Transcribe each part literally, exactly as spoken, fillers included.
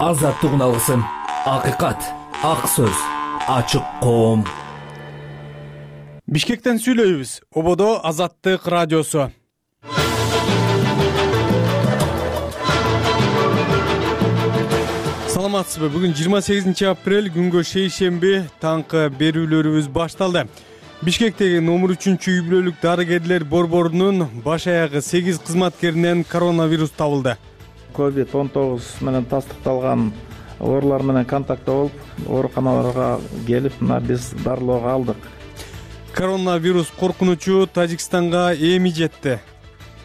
Азаттыгын алгысың. Акыйкат, ак сөз, ачык коом. Бишкектен сүйлөйбүз. Ободо Азаттык радиосу. Саламатсызбы? Бүгүн жыйырма сегизинчи апрель, күнгө шейшемби, таңкы берүүлөрүбүз башталды. Бишкектеги номер үчүнчү үй бүлөлүк дарыгерлер борборунун баш аягы сегиз кызматкеринен коронавирус табылды. ковид он тогуз менен тастыкталган оорулар менен контактта болуп, ооруканаларга келип, мына биз дарылоого алдык. Коронавирус коркунучу Тажикстанга эми жетти.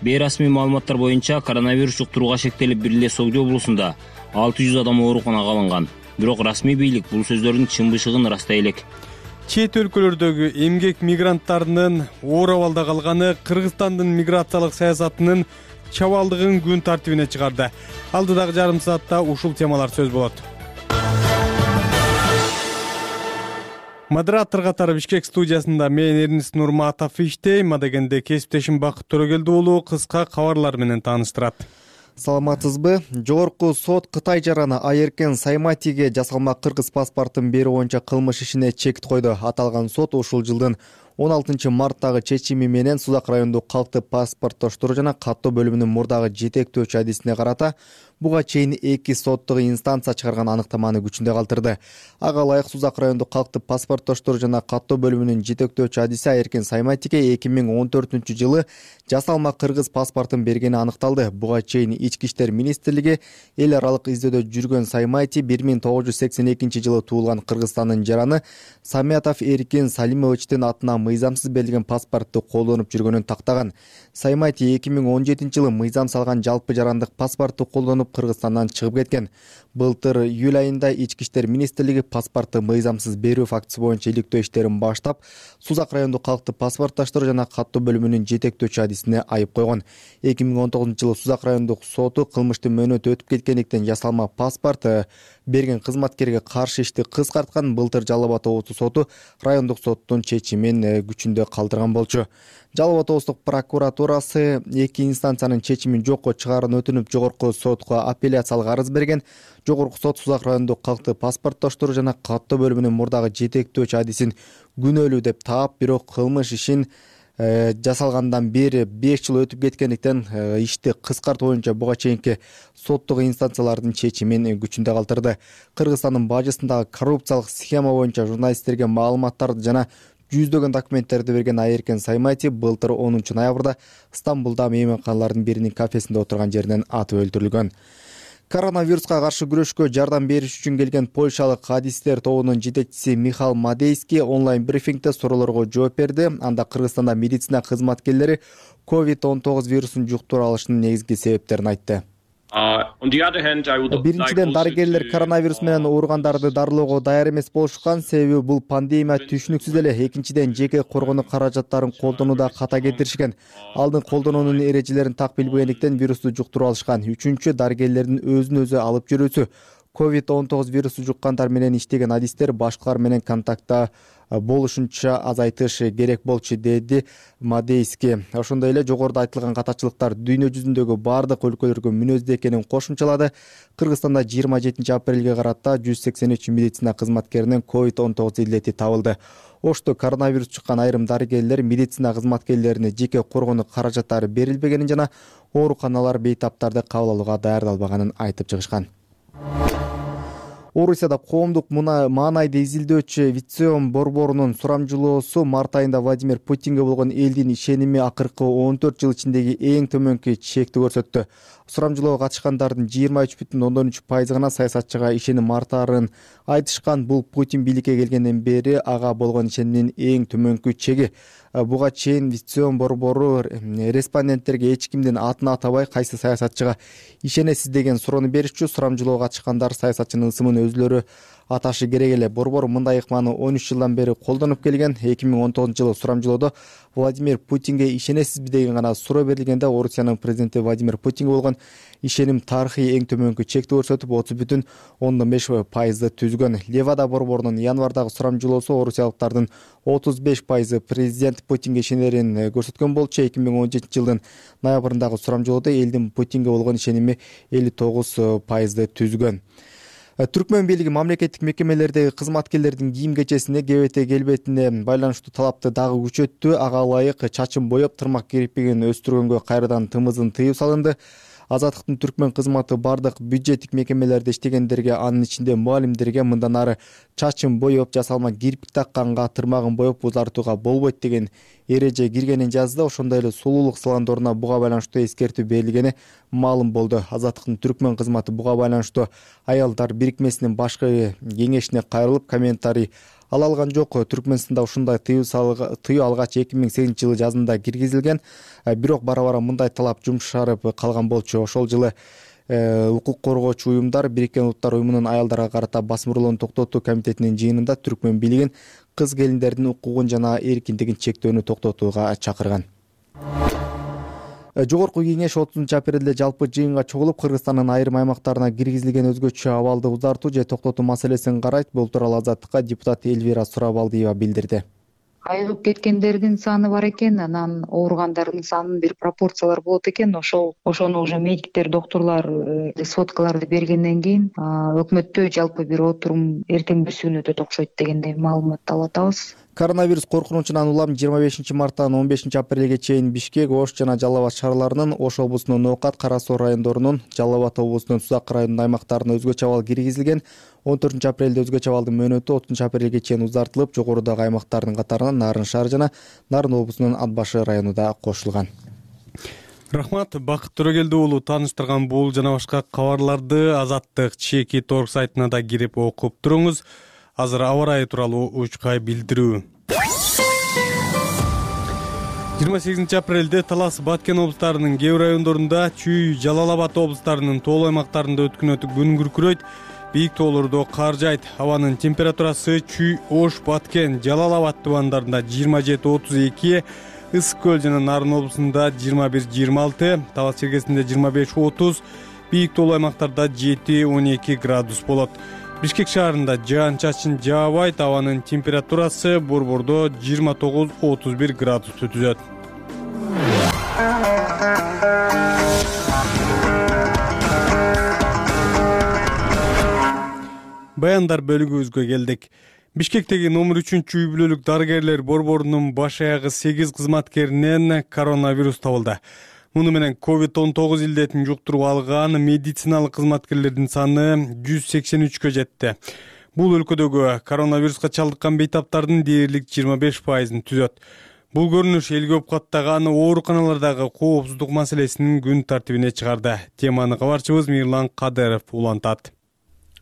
Бейрасмий маалыматтар боюнча коронавирус жуктурууга шектелип, бир эле Согдо облусунда алты жүз адам ооруканага алынган. Бирок расмий бийлик бул сөздөрдүн чын бышыгын ырастай элек. Чет өлкөлөрдөгү эмгек мигранттарынын оор абалда калганы Кыргызстандын миграциялык саясатынын чабалдыгын күн тартибине чыгарды. Алдыдагы жарым саатта ушул темалар сөз болот. Модератор катары Бишкек студиясында мен Эрнис Нурматов иштейм. Адегенде кесиптешим Бакыт Төрөгелди уулу кыска кабарлар менен тааныштырат. Саламатсызбы? Жогорку сот Кытай жараны Айеркен Сайматиге жасалма кыргыз паспортун берүү боюнча кылмыш ишине чек койду. Аталган сот ушул жылдын он алтынчы марттагы чечими менен Сузак райондук калктык паспорттоштуруу жана каттоо бөлүмүнүн мурдагы жетектөөчү адисине карата буга чейин эки соттук инстанция чыгарган аныктаманы күчүндө калтырды. Ага ылайык Сузак райондук калктык паспорттоштуруу жана каттоо бөлүмүнүн жетектөөчү адиси Айеркен Сайматиге эки миң он төртүнчү жылы жасалма кыргыз паспортун бергени аныкталды. Буга чейин Ички иштер министрлиги эл аралык издөөдө жүргөн Саймати бир миң тогуз жүз сексен экинчи жылы туулган Кыргызстандын жараны Самятов Эркин Салимовичтин атына мыйзамсыз берилген паспортту колдонуп жүргөнүн тактаган. Саймати эки миң он жетинчи жылы мыйзам салган жалпы жарандык паспортту колдонуп Кыргызстандан чыгып кеткен. Былтыр июль айында Ички иштер министрлиги паспортту мыйзамсыз берүү фактысы боюнча иликтөө иштерин баштап, Сузак райондук калктык паспорттоштуруу жана каттоо бөлүмүнүн жетектөөчү адисине айып койгон. эки миң он тогузунчу жылы Сузак райондук соту кылмыштын мөөнөтү өтүп кеткендиктен жасалма паспорт берген кызматкерге каршы ишти кыскарткан. Былтыр Жалал Абад облустук соту райондук соттун чечимин күчүндө калтырган болчу. Жалал Абад облустук прокуратурасы эки инстанциянын чечимин жокко чыгаарын өтүнүп, жогорку сотко апелляциялык арыз берген. Жогорку сот Сузак райондук калктык паспорттоштуруу жана каттоо бөлүмүнүн мурдагы жетектөөчү адисин күнөөлүү деп таап, бирок кылмыш ишин жасалгандан бери беш жыл өтүп кеткендиктен ишти кыскартуу боюнча буга чейинки соттук инстанциялардын чечимин күчүндө калтырды. Кыргызстандын бажысындагы коррупциялык схема боюнча журналисттерге маалыматтарды жана жүздөгөн документтерди берген Айеркен Саймати былтыр онунчу ноябрда Стамбулда мейманканалардын биринин кафесинде отурган жеринен атып өлтүрүлгөн. Коронавируска каршы күрөшкө жардам бериш үчүн келген польшалык адистер тобунун жетекчиси Михал Мадейский онлайн брифингде суроолорго жооп берди. Анда Кыргызстанда медицина кызматкерлери ковид он тогуз вирусун жуктура алышынын негизги себептерин айтты. Биринчиден, дарыгерлер коронавирус менен ооругандарды дарылоого даяр эмес болушкан, себеби бул пандемия түшүнүксүз эле. Экинчиден, жеке коргонуу каражаттарын колдонууда ката кетиришкен. Алдын колдонуунун эрежелерин так билбегендиктен вирусту жуктуруп алышкан. Үчүнчү, дарыгерлердин өзүн өзү алып жүрүүсү. ковид он тогуз вирусу жуккандар менен иштеген адистер башкалар менен контактта болушунча азайтыш керек болчу, деди Мадейский. Ошондой эле жогоруда айтылган катачылыктар дүйнө жүзүндөгү бардык өлкөлөргө мүнөздүү экенин кошумчалады. Кыргызстанда жыйырма жетинчи апрелге карата жүз сексен үч медицина кызматкеринен ковид он тогуз илдети табылды. Ошто коронавирус чыккан айрым дарыгерлер медицина кызматкерлерине жеке коргонуу каражаттары берилбегенин жана ооруканалар бейтаптарды кабыл алууга даярдалбаганын айтып чыгышкан. Орусияда коомдук маанайды изилдөөчү Вицион борборунун сурамжылоосу март айында Владимир Путинге болгон элдин ишеними акыркы он төрт жыл ичиндеги эң төмөнкү чекти көрсөттү. Сурамжылоого катышкандардын жыйырма үч бүтүн ондон үч пайызы гана саясатчыга ишеним артаарын айтышкан. Бул Путин бийликке келгенден бери ага болгон ишенимдин эң төмөнкү чеги. Буга чейин Вицион борбору респонденттерге эч кимдин атын атабай кайсы саясатчыга ишенесиз деген суроону беришчү. Сурамжылоого катышкандар саясатчынын ысымын өзүлөрү аташы керек эле. Борбор мындай ыкманы он үч жылдан бери колдонуп келген. эки миң он тогузунчу жылы сурамжылоодо Владимир Путинге ишенесизби деген гана суроо берилгенде Орусиянын президенти Владимир Путинге болгон ишеним тарыхый эң төмөнкү чекти көрсөтүп отуз бүтүн ондон беш пайызды түзгөн. Левада борборунун январдагы сурамжылоосу орусиялыктардын отуз беш пайызы президент Путинге ишенерин көрсөткөн болчу. эки миң он жетинчи жылдын ноябрындагы сурамжылоодо элдин Путинге болгон ишеними элүү тогуз пайызды түзгөн. Түркмөн бийлиги мамлекеттик мекемелердеги кызматкерлердин кийим кечесине, кебете келбетине байланыштуу талапты дагы күчөттү. Ага ылайык чачын боеп, тырмак кирпигин өстүргөнгө кайрадан тымызын тыюу салынды. Азаттыктын Түркмөн кызматы бардык бюджеттик мекемелерде иштегендерге, анын ичинде мугалимдерге мындан ары чачын боеп, жасалма кирпик такканга, тырмагын боеп узартууга болбойт деген эреже киргенин жазды. Ошондой эле сулуулук салондоруна буга байланыштуу эскертүү берилгени маалым болду. Азаттыктын Түркмөн кызматы буга байланыштуу аялдар бирикмесинин башкы кеңешине кайрылып, комментарий ала алган жок. Түркмөнстанда ушундай тыюу тыюу алгач эки миң сегизинчи жылы жазында киргизилген. Бирок бара бара мындай талап жумшарып калган болчу. Ошол жылы укук коргоочу уюмдар Бириккен Улуттар уюмунун аялдарга карата басмырлоону токтотуу комитетинин жыйынында Түркмөн бийлигин кыз келиндердин укугун жана эркиндигин чектөөнү токтотууга чакырган. Жогорку кеңеш отузунчу апрелде жалпы жыйынга чогулуп, Кыргызстандын айрым аймактарына киргизилген өзгөчө абалды узартуу же токтотуу маселесин карайт. Бул тууралуу Азаттыкка депутат Эльвира Сурабалдиева билдирди. Айыгып кеткендердин саны бар экен, анан ооругандардын санынын бир пропорциялар болот экен. Ошол ошону уже медиктер, доктурлар сводкаларды бергенден кийин өкмөттө жалпы бир отурум эртең бүсүгүн өтөт окшойт дегендей маалымат алып атабыз. Коронавирус коркунучунан улам жыйырма бешинчи марттан он бешинчи апрелге чейин Бишкек, Ош жана Жалал Абад шаарларынын, Ош облусунун Ноокат, Кара Суу райондорунун, Жалал Абад облусунун Сузак районунун аймактарына өзгөчө абал киргизилген. он төртүнчү апрелде өзгөчө абалдын мөөнөтү отузунчу апрелге чейин узартылып, жогорудагы аймактардын катарына Нарын шаар жана Нарын облусунун Ат башы району да кошулган. Рахмат, Бакыт Төрөгелди уулу тааныштырган бул жана башка кабарларды Азаттык Чеки торг сайтына да кирип окуп туруңуз. Азыр аба ырайы тууралуу учкай билдирүү. жыйырма сегизинчи апрелде Талас, Баткен облустарынын кээ бир райондорунда, Чүй, Жалал Абад облустарынын тоолуу аймактарында өткүнөтү күн күркүрөйт. Бийик тоолордо кар жайт. Абанын температурасы Чүй, Ош, Баткен, Жалал Абад тубандарында жыйырма жети отуз эки, Ысык көл жана Нарын облусунда жыйырма бир жыйырма алты, Талас чергесинде жыйырма беш отуз, бийик тоолуу аймактарда жети он эки градус болот. Бишкек шаарында жаан-чачын жаабайт. Абанын температурасы Борбордо жыйырма тогуз отуз бир градусту түзөт. Баяндар бөлүгүбүзгө келдик. Бишкектеги номер үчүнчү үй бүлөлүк дарыгерлер борборунун баш аягы сегиз кызматкеринен коронавирус табылды. Муну менен ковид он тогуз илдетин жуктуруп алган медициналык кызматкерлердин саны жүз сексен үчкө жетти. Бул өлкөдөгү коронавируска чалдыккан бейтаптардын дээрлик жыйырма беш пайызын түзөт. Бул көрүнүш элге каттаган ооруканалардагы коопсуздук маселесинин күн тартибине чыгарды. Теманы кабарчыбыз Мирлан Кадыров улантат.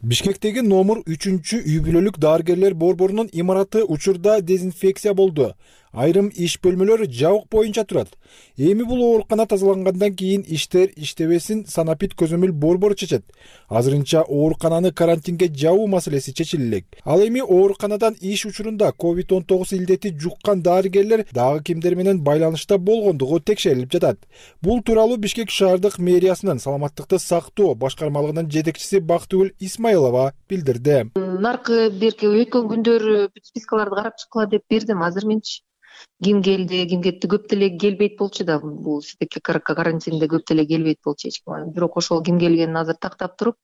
Бишкектеги номер үчүнчү үй бүлөлүк дарыгерлер борборунун имараты учурда дезинфекция болду. Айрым иш бөлмөлөрү жабык боюнча турат. Эми бул оорукана тазалангандан кийин иштер иштебесин санапит көзөмөл борбору чечет. Азырынча оорукананы карантинге жабуу маселеси чечилелек. Ал эми ооруканадан иш учурунда ковид он тогуз илдети жуккан дарыгерлер дагы кимдер менен байланышта болгондугу текшерилип жатат. Бул тууралуу Бишкек шаардык мэриясынын саламаттыкты сактоо башкармалыгынын жетекчиси Бактыгүл Исмаилова билдирди. Наркы берки өткөн күндөр спискаларды карап чыккыла деп бердим. Азыр менчи ким келди, ким кетти, көп деле келбейт болчу да. Бул сидеки карантинде көп деле келбейт болчу эч ким. Бирок ошол ким келгенин азыр тактап туруп,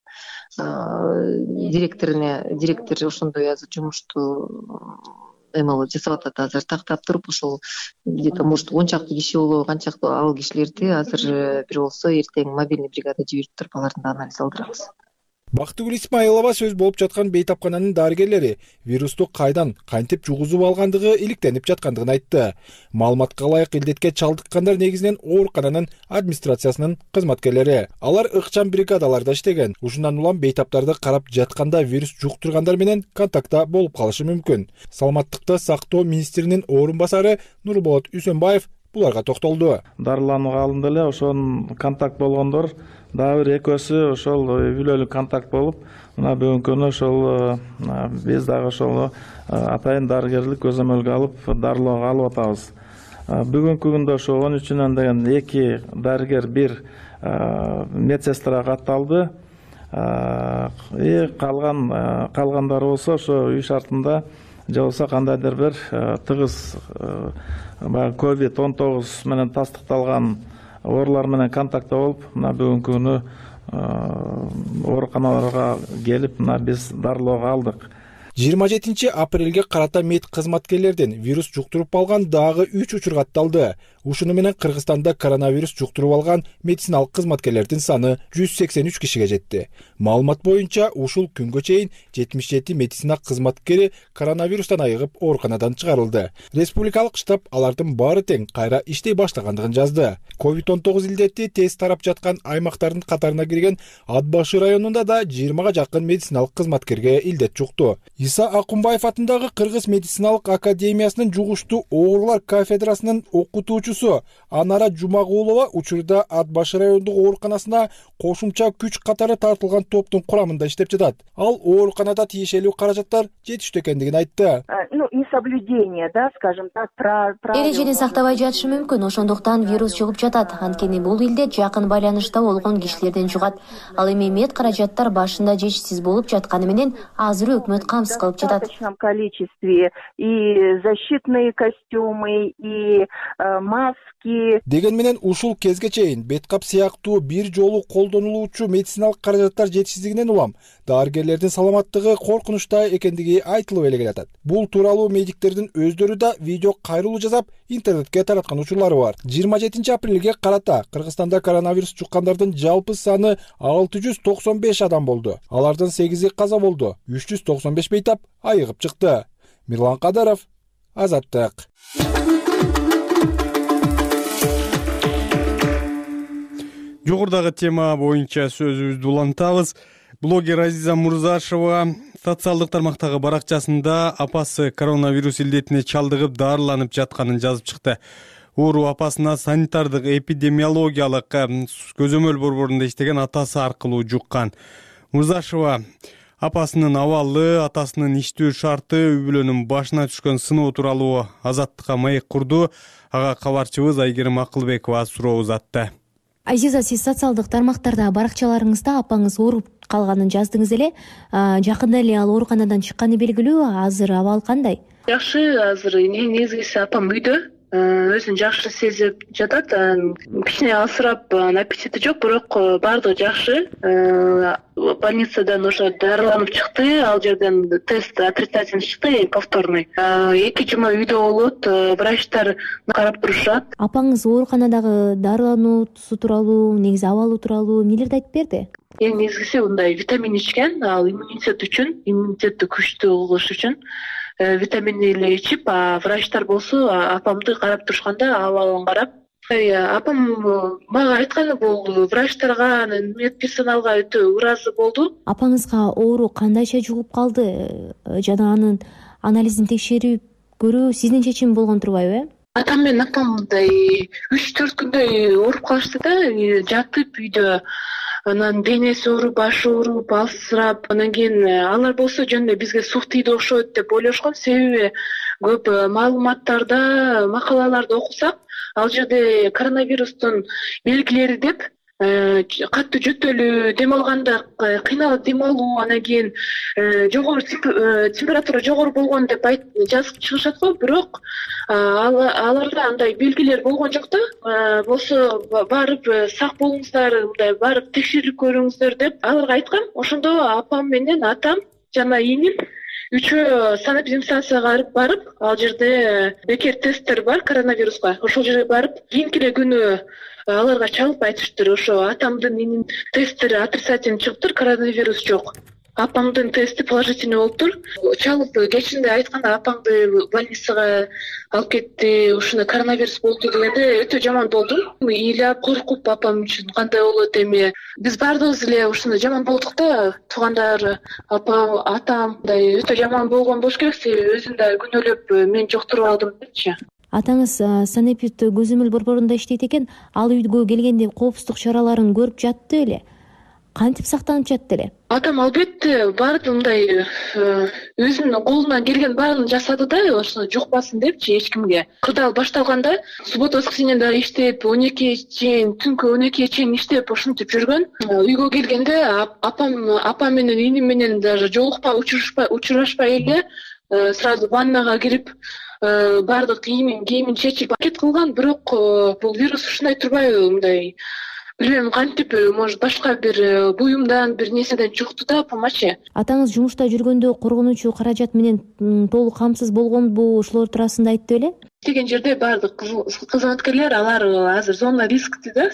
директоруна, директор ошондой азыр жумушту эмело жасап атат. Азыр тактап туруп, ошол где-то может он чакты киши болобу, канчакты ал кишилерди азыр бир болсо эртең мобильный бригада жиберип туруп алардын да анализ алдырабыз. Бактыгүл Исмаилова сөз болуп жаткан бейтапкананын дарыгерлери вирусту кайдан, кантип жугузуп алгандыгы иликтенип жаткандыгын айтты. Маалыматка ылайык илдетке чалдыккандар негизинен оорукананын администрациясынын кызматкерлери. Алар ыкчам бригадаларда иштеген. Ушундан улам бейтаптарды карап жатканда вирус жуктургандар менен контактта болуп калышы мүмкүн. Саламаттыкты сактоо министринин орун басары Нурболот Үсөнбаев буларга токтолду. Дарыланууга алынды эле, ошон контакт болгондор дагы бир экөөсү ошол үй бүлөлүк контакт болуп, мына бүгүнкү күнү ошол биз дагы ошол атайын дарыгерлик көзөмөлгө алып, дарылоого алып атабыз. Бүгүнкү күндө ошо он үчүнөн деген эки дарыгер, бир медсестра катталды. И калган калгандары болсо ошо үй шартында же болбосо кандайдыр бир тыгыз баягы ковид он тогуз менен тастыкталган оорулар менен контактта болуп, мына бүгүнкү күнү ооруканаларга келип мына биз дарылоого алдык. жыйырма жетинчи апрелге карата мед кызматкерлерден вирус жуктуруп алган дагы үч учур катталды. Ушуну менен Кыргызстанда коронавирус жуктуруп алган медициналык кызматкерлердин саны жүз сексен үч кишиге жетти. Маалымат боюнча ушул күнгө чейин жетимиш жети медицина кызматкери коронавирустан айыгып ооруканадан чыгарылды. Республикалык штаб алардын баары тең кайра иштей баштагандыгын жазды. ковид он тогуз илдети тез тарап жаткан аймактардын катарына кирген Ат башы районунда да жыйырмага жакын медициналык кызматкерге илдет жукты. Иса Акунбаев атындагы Кыргыз медициналык академиясынын жугуштуу оорулар кафедрасынын окутуучусу Анара Жумагулова учурда Ат башы райондук ооруканасына кошумча күч катары тартылган топтун курамында иштеп жатат. Ал ооруканада тиешелүү каражаттар жетиштүү экендигин айтты. Ну, несоблюдение, да, скажем так, правил. Эрежени сактабай жатышы мүмкүн, ошондуктан вирус жугуп жатат. Анткени бул илде жакын байланышта болгон кишилерден жугат. Ал эми мед каражаттар башында жетишсиз болуп жатканы менен азыр өкмөт камсыз кылып жатат. В достаточном количестве и защитные костюмы, и э, маски. Деген менен ушул кезге чейин беткап сыяктуу бир жолу колдонулуучу медициналык каражаттар жетишсиздигинен улам дарыгерлердин саламаттыгы коркунучта экендиги айтылып эле келатат. Бул тууралуу медиктердин өздөрү да видео кайрылуу жасап интернетке тараткан учурлары бар. жыйырма жетинчи апрелге карата Кыргызстанда коронавирус жуккандардын жалпы саны алты жүз токсон беш адам болду. Алардын сегизи каза болду. үч жүз токсон беш бейтап айыгып чыкты. Мирлан Кадаров, Азаттык. Жогорудагы тема боюнча сөзүбүздү улантабыз. Блогер Азиза Мурзашева социалдык тармактагы баракчасында апасы коронавирус илдетине чалдыгып дарыланып жатканын жазып чыкты. Оору апасына санитардык эпидемиологиялык көзөмөл борборунда иштеген атасы аркылуу жуккан. Мурзашева апасынын абалы, атасынын иштөө шарты, үй бүлөнүн башына түшкөн сыноо тууралуу Азаттыкка маек курду. Ага кабарчыбыз Айгерим Акылбекова суроо узатты. Азиза, сиз социалдык тармактарда баракчаларыңызда апаңыз ооруп калганын жаздыңыз эле. Жакында эле ал ооруканадан чыкканы белгилүү. Азыр абал кандай? Жакшы, азыр негизгиси апам үйдө. Өзүн жакшы сезип жатат. Кичине алсырап, аппетити жок, бирок баардыгы жакшы. Больницадан уже дарыланып чыкты. Ал жерден тест отрицательный чыкты, повторный. Эки жума үйдө болот, врачтар карап турушат. Апаңыз ооруканадагы дарылануусу тууралуу, негизи абалы тууралуу эмнелерди айтып берди? Эң негизгиси мындай витамин ичкен, ал иммунитет үчүн, иммунитетти күчтүү кылыш үчүн. Витамин эле ичип, а врачтар болсо апамды карап турушканда абалын карап, апам мага айтканы бул врачтарга, медперсоналга өтө ыраазы болду. Апаңызга оору кандайча жугуп калды жана анын анализин текшерип көрүү сиздин чечим болгон турбайбы? Атам менен апам мындай үч төрт күндөй ооруп калышты да, жатып үйдө. Анан денеси ооруп, башы ооруп, алсырап, анан кийин алар болсо жөн эле бизге сук тийди окшойт деп ойлошкон. Себеби көп маалыматтарда, макалаларда окусак, ал жерде коронавирустун белгилери деп катты жөтөлүү, дем алганда кыйналып дем алуу, анан кийин жогору температура жогору болгон деп жазып чыгышат го, бирок аларда андай белгилер болгон жок да. Болсо барып сак болуңуздар, мындай барып текшерип көрүңүздөр деп аларга айткам. Ошондо апам менен атам жана ийним үчөө санэпидемстанцияга барып, ал жерде бекер тесттер бар коронавируска. Ошол жерге барып, кийинки эле күнү аларга чалып айтыштыр, ошо атамдын инин тесттери отрицательный чыгыптыр, коронавирус жок. Апамдын тести положительный болуптур. Чалып кечинде айтканда апаңды больницага алып кетти, ушуна коронавирус болду дегенде өтө жаман болдум. Ыйлап, коркуп апам үчүн кандай болот эми. Биз баардыгыбыз эле ушуна жаман болдук да, туугандар, апам, атам мындай өтө жаман болгон болуш керек, себеби өзүн да күнөөлөп мен жоктуруп алдым депчи. Атаңыз санэпид көзөмөл борборунда иштейт экен, ал үйгө келгенде коопсуздук чараларын көрүп жатты эле. Кантип сактанып жатты эле? Атам албетте баарды мындай өзүнүн колунан келген баарын жасады да, ошону жукпасын депчи эч кимге. Кырдаал башталганда суббота воскресеньеда иштеп, он экиге чейин, түнкү он экиге чейин иштеп, ошентип жүргөн. Үйгө келгенде апам, апам менен иним менен даже жолукпай, учурашпай, учурашпай эле сразу ваннага кирип, баардык кийимин, кийимин чечип пакет кылган, бирок бул вирус ушундай турбайбы, мындай Билбейм, кантип, может башка бир буюмдан бир нерседен чукту да помочи. Атаңыз жумушта жүргөндө коргонуучу каражат менен толук камсыз болгонбу, ошолор туурасында айтты беле? Деген жерде баардык кызматкерлер алар азыр зона рискти да.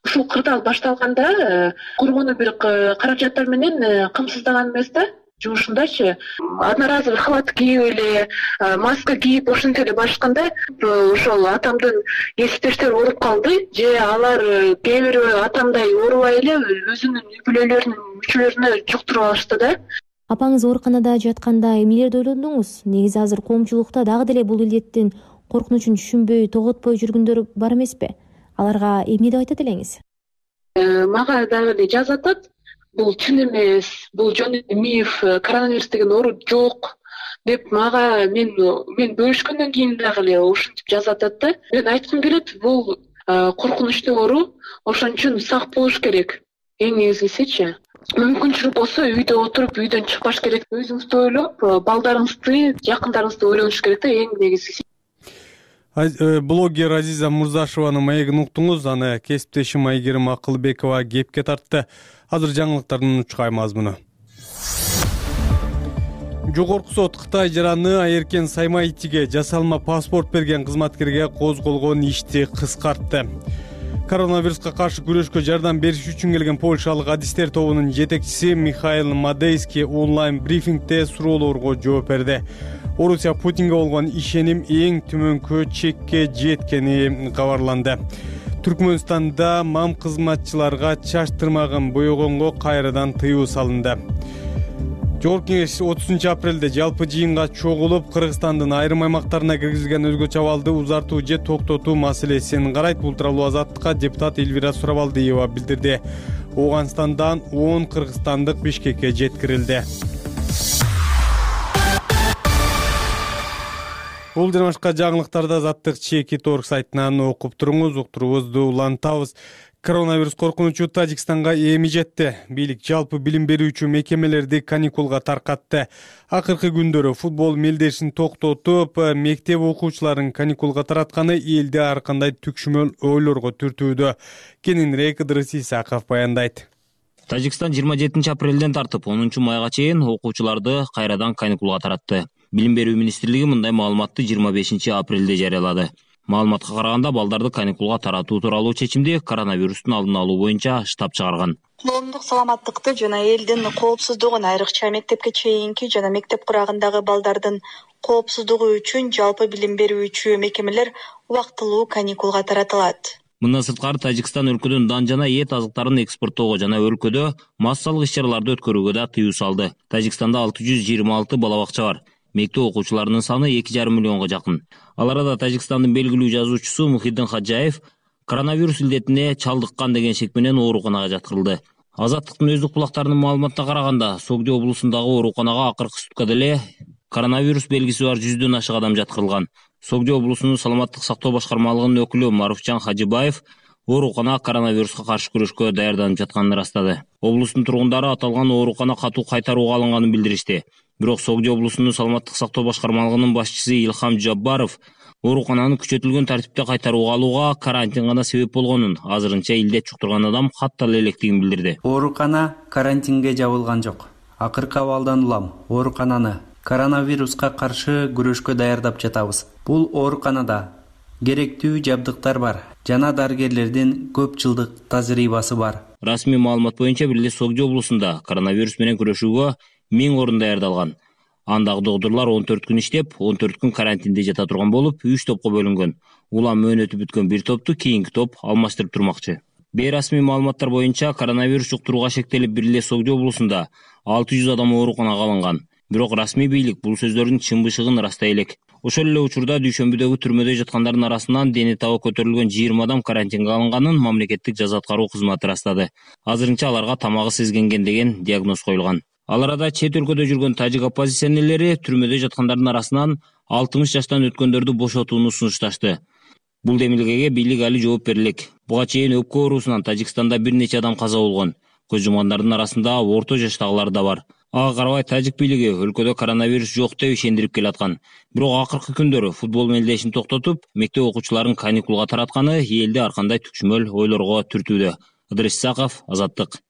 Ушул кырдаал башталганда коргонуу бир каражаттар менен камсыздаган эмес да. Жумушундачы одноразовый халат кийип эле, маска кийип ошентип эле барышканда ошол атамдын кесиптештери ооруп калды же алар кээ бири атамдай оорубай эле өзүнүн үй бүлөлөрүнүн мүчөлөрүнө жуктуруп алышты да. Апаңыз ооруканада жатканда эмнелерди ойлондуңуз? Негизи азыр коомчулукта дагы деле бул илдеттин коркунучун түшүнбөй, тоготпой жүргөндөр бар эмеспи? Аларга эмне деп айтат элеңиз? Мага дагы эле жазып атат. Бул чын эмес, бул жөн эле миф, коронавирус деген оору жок деп мага мен мен бөлүшкөндөн кийин дагы эле ушинтип жазып атат да. Мен айткым келет, бул коркунучтуу оору, ошон үчүн сак болуш керек. Эң негизгисичи, мүмкүнчүлүк болсо үйдө отуруп, үйдөн чыкпаш керек. Өзүңүздү ойлоп, балдарыңызды, жакындарыңызды ойлонуш керек да, эң негизгиси. Блогер Азиза Мурзашеванын маегин уктуңуз, аны кесиптешим Айгерим Акылбекова кепке тартты. Азыр жаңылыктардын учкай мазмуну. Жогорку сот Кытай жараны Айеркен Саймайтиге жасалма паспорт берген кызматкерге козголгон ишти кыскартты. Коронавируска каршы күрөшкө жардам бериш үчүн келген польшалык адистер тобунун жетекчиси Михаил Мадейский онлайн брифингде суроолорго жооп берди. Орусия Путинге болгон ишеним эң төмөнкү чекке жеткени кабарланды. Түркмөнстанда мам кызматчыларга чач тырмагын боёгонго кайрадан тыюу салынды. Жогорку Кеңеш отузунчу апрелде жалпы жыйынга чогулуп, Кыргызстандын айрым аймактарына киргизилген өзгөчө абалды узартуу же токтотуу маселесин карайт. Бул тууралуу Азаттыкка депутат Элвира Сурабалдиева билдирди. Ооганстандан он кыргызстандык Бишкекке жеткирилди. Бул жана башка жаңылыктарды Азаттык чеки точка орг сайтынан окуп туруңуз. Уктуруубузду улантабыз. Коронавирус коркунучу Тажикстанга эми жетти. Бийлик жалпы билим берүүчү мекемелерди каникулга таркатты. Акыркы күндөрү футбол мелдешин токтотуп, мектеп окуучуларын каникулга таратканы элди ар кандай түкшүмөл ойлорго түртүүдө. Кененирээк Ыдырыс Исаков баяндайт. Тажикстан жыйырма жетинчи апрелден тартып онунчу майга чейин окуучуларды кайрадан каникулга таратты. Билим берүү министрлиги мындай маалыматты жыйырма бешинчи апрелде жарыялады. Маалыматка караганда балдарды каникулга таратуу тууралуу чечимди коронавирустун алдын алуу боюнча штаб чыгарган. Коомдук саламаттыкты жана элдин коопсуздугун, айрыкча мектепке чейинки жана мектеп курагындагы балдардын коопсуздугу үчүн жалпы билим берүүчү мекемелер убактылуу каникулга таратылат. Мындан сырткары Тажикстан өлкөдөн дан жана эт азыктарын экспорттоого жана өлкөдө массалык иш-чараларды өткөрүүгө да тыюу салды. Тажикстанда алты жүз жыйырма алты бала бакча бар. Мектеп окуучуларынын саны эки жарым миллионго жакын. Ал арада Тажикстандын белгилүү жазуучусу Мухиддин Хаджаев коронавирус илдетине чалдыккан деген шек менен ооруканага жаткырылды. Азаттыктын өздүк булактарынын маалыматына караганда, Согди облусундагы ооруканага акыркы суткада эле коронавирус белгиси бар жүздөн ашык адам жаткырылган. Согди облусунун саламаттык сактоо башкармалыгынын өкүлү Маруфжан Хажибаев оорукана коронавируска каршы күрөшкө даярданып жатканын ырастады. Облустун тургундары аталган оорукана катуу кайтарууга алынганын билдиришти. Бирок Согди облусунун саламаттык сактоо башкармалыгынын башчысы Илхам Жаббаров оорукананы күчөтүлгөн тартипте кайтарууга алууга карантин гана себеп болгонун, азырынча илдет жуктурган адам каттала электигин билдирди. Оорукана карантинге жабылган жок. Акыркы абалдан улам оорукананы коронавируска каршы күрөшкө даярдап жатабыз. Бул ооруканада керектүү жабдыктар бар жана дарыгерлердин көп жылдык тажрыйбасы бар. Расмий маалымат боюнча бир эле Согди облусунда коронавирус менен күрөшүүгө миң орун даярдалган. Андагы доктурлар он төрт күн иштеп, он төрт күн карантинде жата турган болуп, үч топко бөлүнгөн. Улам мөөнөтү бүткөн бир топту кийинки топ алмаштырып турмакчы. Бейрасмий маалыматтар боюнча коронавирус жуктурууга шектелип бир эле Согди облусунда алты жүз адам ооруканага алынган. Бирок расмий бийлик бул сөздөрдүн чын бышыгын ырастай элек. Ошол эле учурда дүйшөмбүдөгү түрмөдө жаткандардын арасынан дени табы көтөрүлгөн жыйырма адам карантинге алынганын мамлекеттик жаза аткаруу кызматы ырастады. Азырынча аларга тамагы сезгенген деген диагноз коюлган. Ал арада чет өлкөдө жүргөн тажик оппозиционерлери түрмөдө жаткандардын арасынан алтымыш жаштан өткөндөрдү бошотууну сунушташты. Бул демилгеге бийлик али жооп берилек. Буга чейин өпкө оорусунан Тажикстанда бир нече адам каза болгон. Көз жумгандардын арасында орто жаштагылар да бар. Ага карабай тажик бийлиги өлкөдө коронавирус жок деп ишендирип келаткан. Бирок акыркы күндөрү футбол мелдешин токтотуп, мектеп окуучуларын каникулга таратканы элди ар кандай түкшүмөл ойлорго түртүүдө. Ыдырыс Исаков, Азаттык.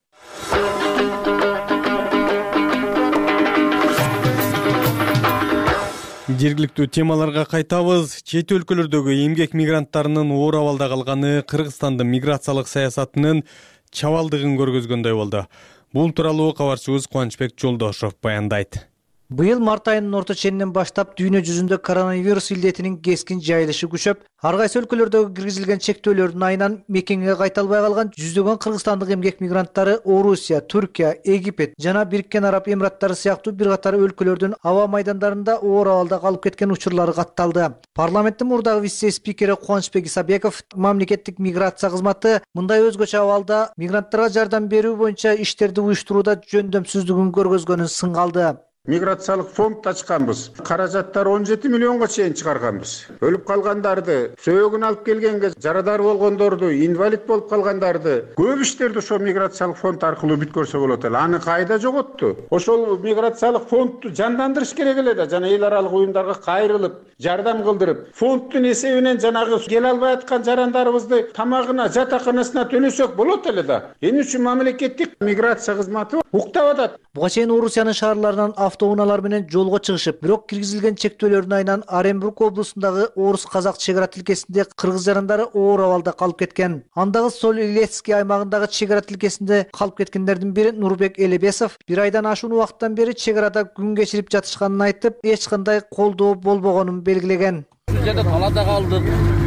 Жергиликтүү темаларга кайтабыз. Чет өлкөлөрдөгү эмгек мигранттарынын оор абалда калганы Кыргызстандын миграциялык саясатынын чабалдыгын көргөзгөндөй болду. Бул тууралуу кабарчыбыз Кубанычбек Жолдошов баяндайт. Быйыл март айынын орто ченинен баштап дүйнө жүзүндө коронавирус илдетинин кескин жайылышы күчөп, ар кайсы өлкөлөрдөгү киргизилген чектөөлөрдүн айынан мекенге кайта албай калган жүздөгөн кыргызстандык эмгек мигранттары Орусия, Түркия, Египет жана Бириккен Араб Эмираттары сыяктуу бир катар өлкөлөрдүн аба майдандарында оор абалда калып кеткен учурлары катталды. Парламенттин мурдагы вице-спикери Кубанычбек Исабеков мамлекеттик миграция кызматы мындай өзгөчө абалда мигранттарга жардам берүү боюнча иштерди уюштурууда жөндөмсүздүгүн көргөзгөнүн сынгалды. Миграциялык фонд ачканбыз. Каражаттар он жети миллионго чейин чыгарганбыз. Өлүп калгандарды, сөөгүн алып келгенге жарадар болгондорду, инвалид болуп калгандарды көп иштерди ошо миграциялык фонд аркылуу бүткөрсө болот эле. Аны кайда жоготту? Ошол миграциялык фондду жандандырыш керек эле да, жана эл аралык уюмдарга кайрылып, жардам кылдырып, фонддун эсебинен жанагы келе албай аткан жарандарыбызды тамагына, жатаканасына төлөсөк болот эле да. Эмне үчүн мамлекеттик миграция кызматы уктап атат? Буга чейин Орусиянын шаарларынан автоунаалар менен жолго чыгышып, бирок киргизилген чектөөлөрдүн айынан Оренбург облусундагы орус-казак чек ара тилкесинде кыргыз жарандары оор абалда калып кеткен. Андагы Соль-Илецкий аймагындагы чек ара тилкесинде калып кеткендердин бири Нурбек Элебесов бир айдан ашуун убакыттан бери чек арада күн кечирип жатышканын айтып, эч кандай колдоо болбогонун белгилеген. Бул жерде талаада калдык,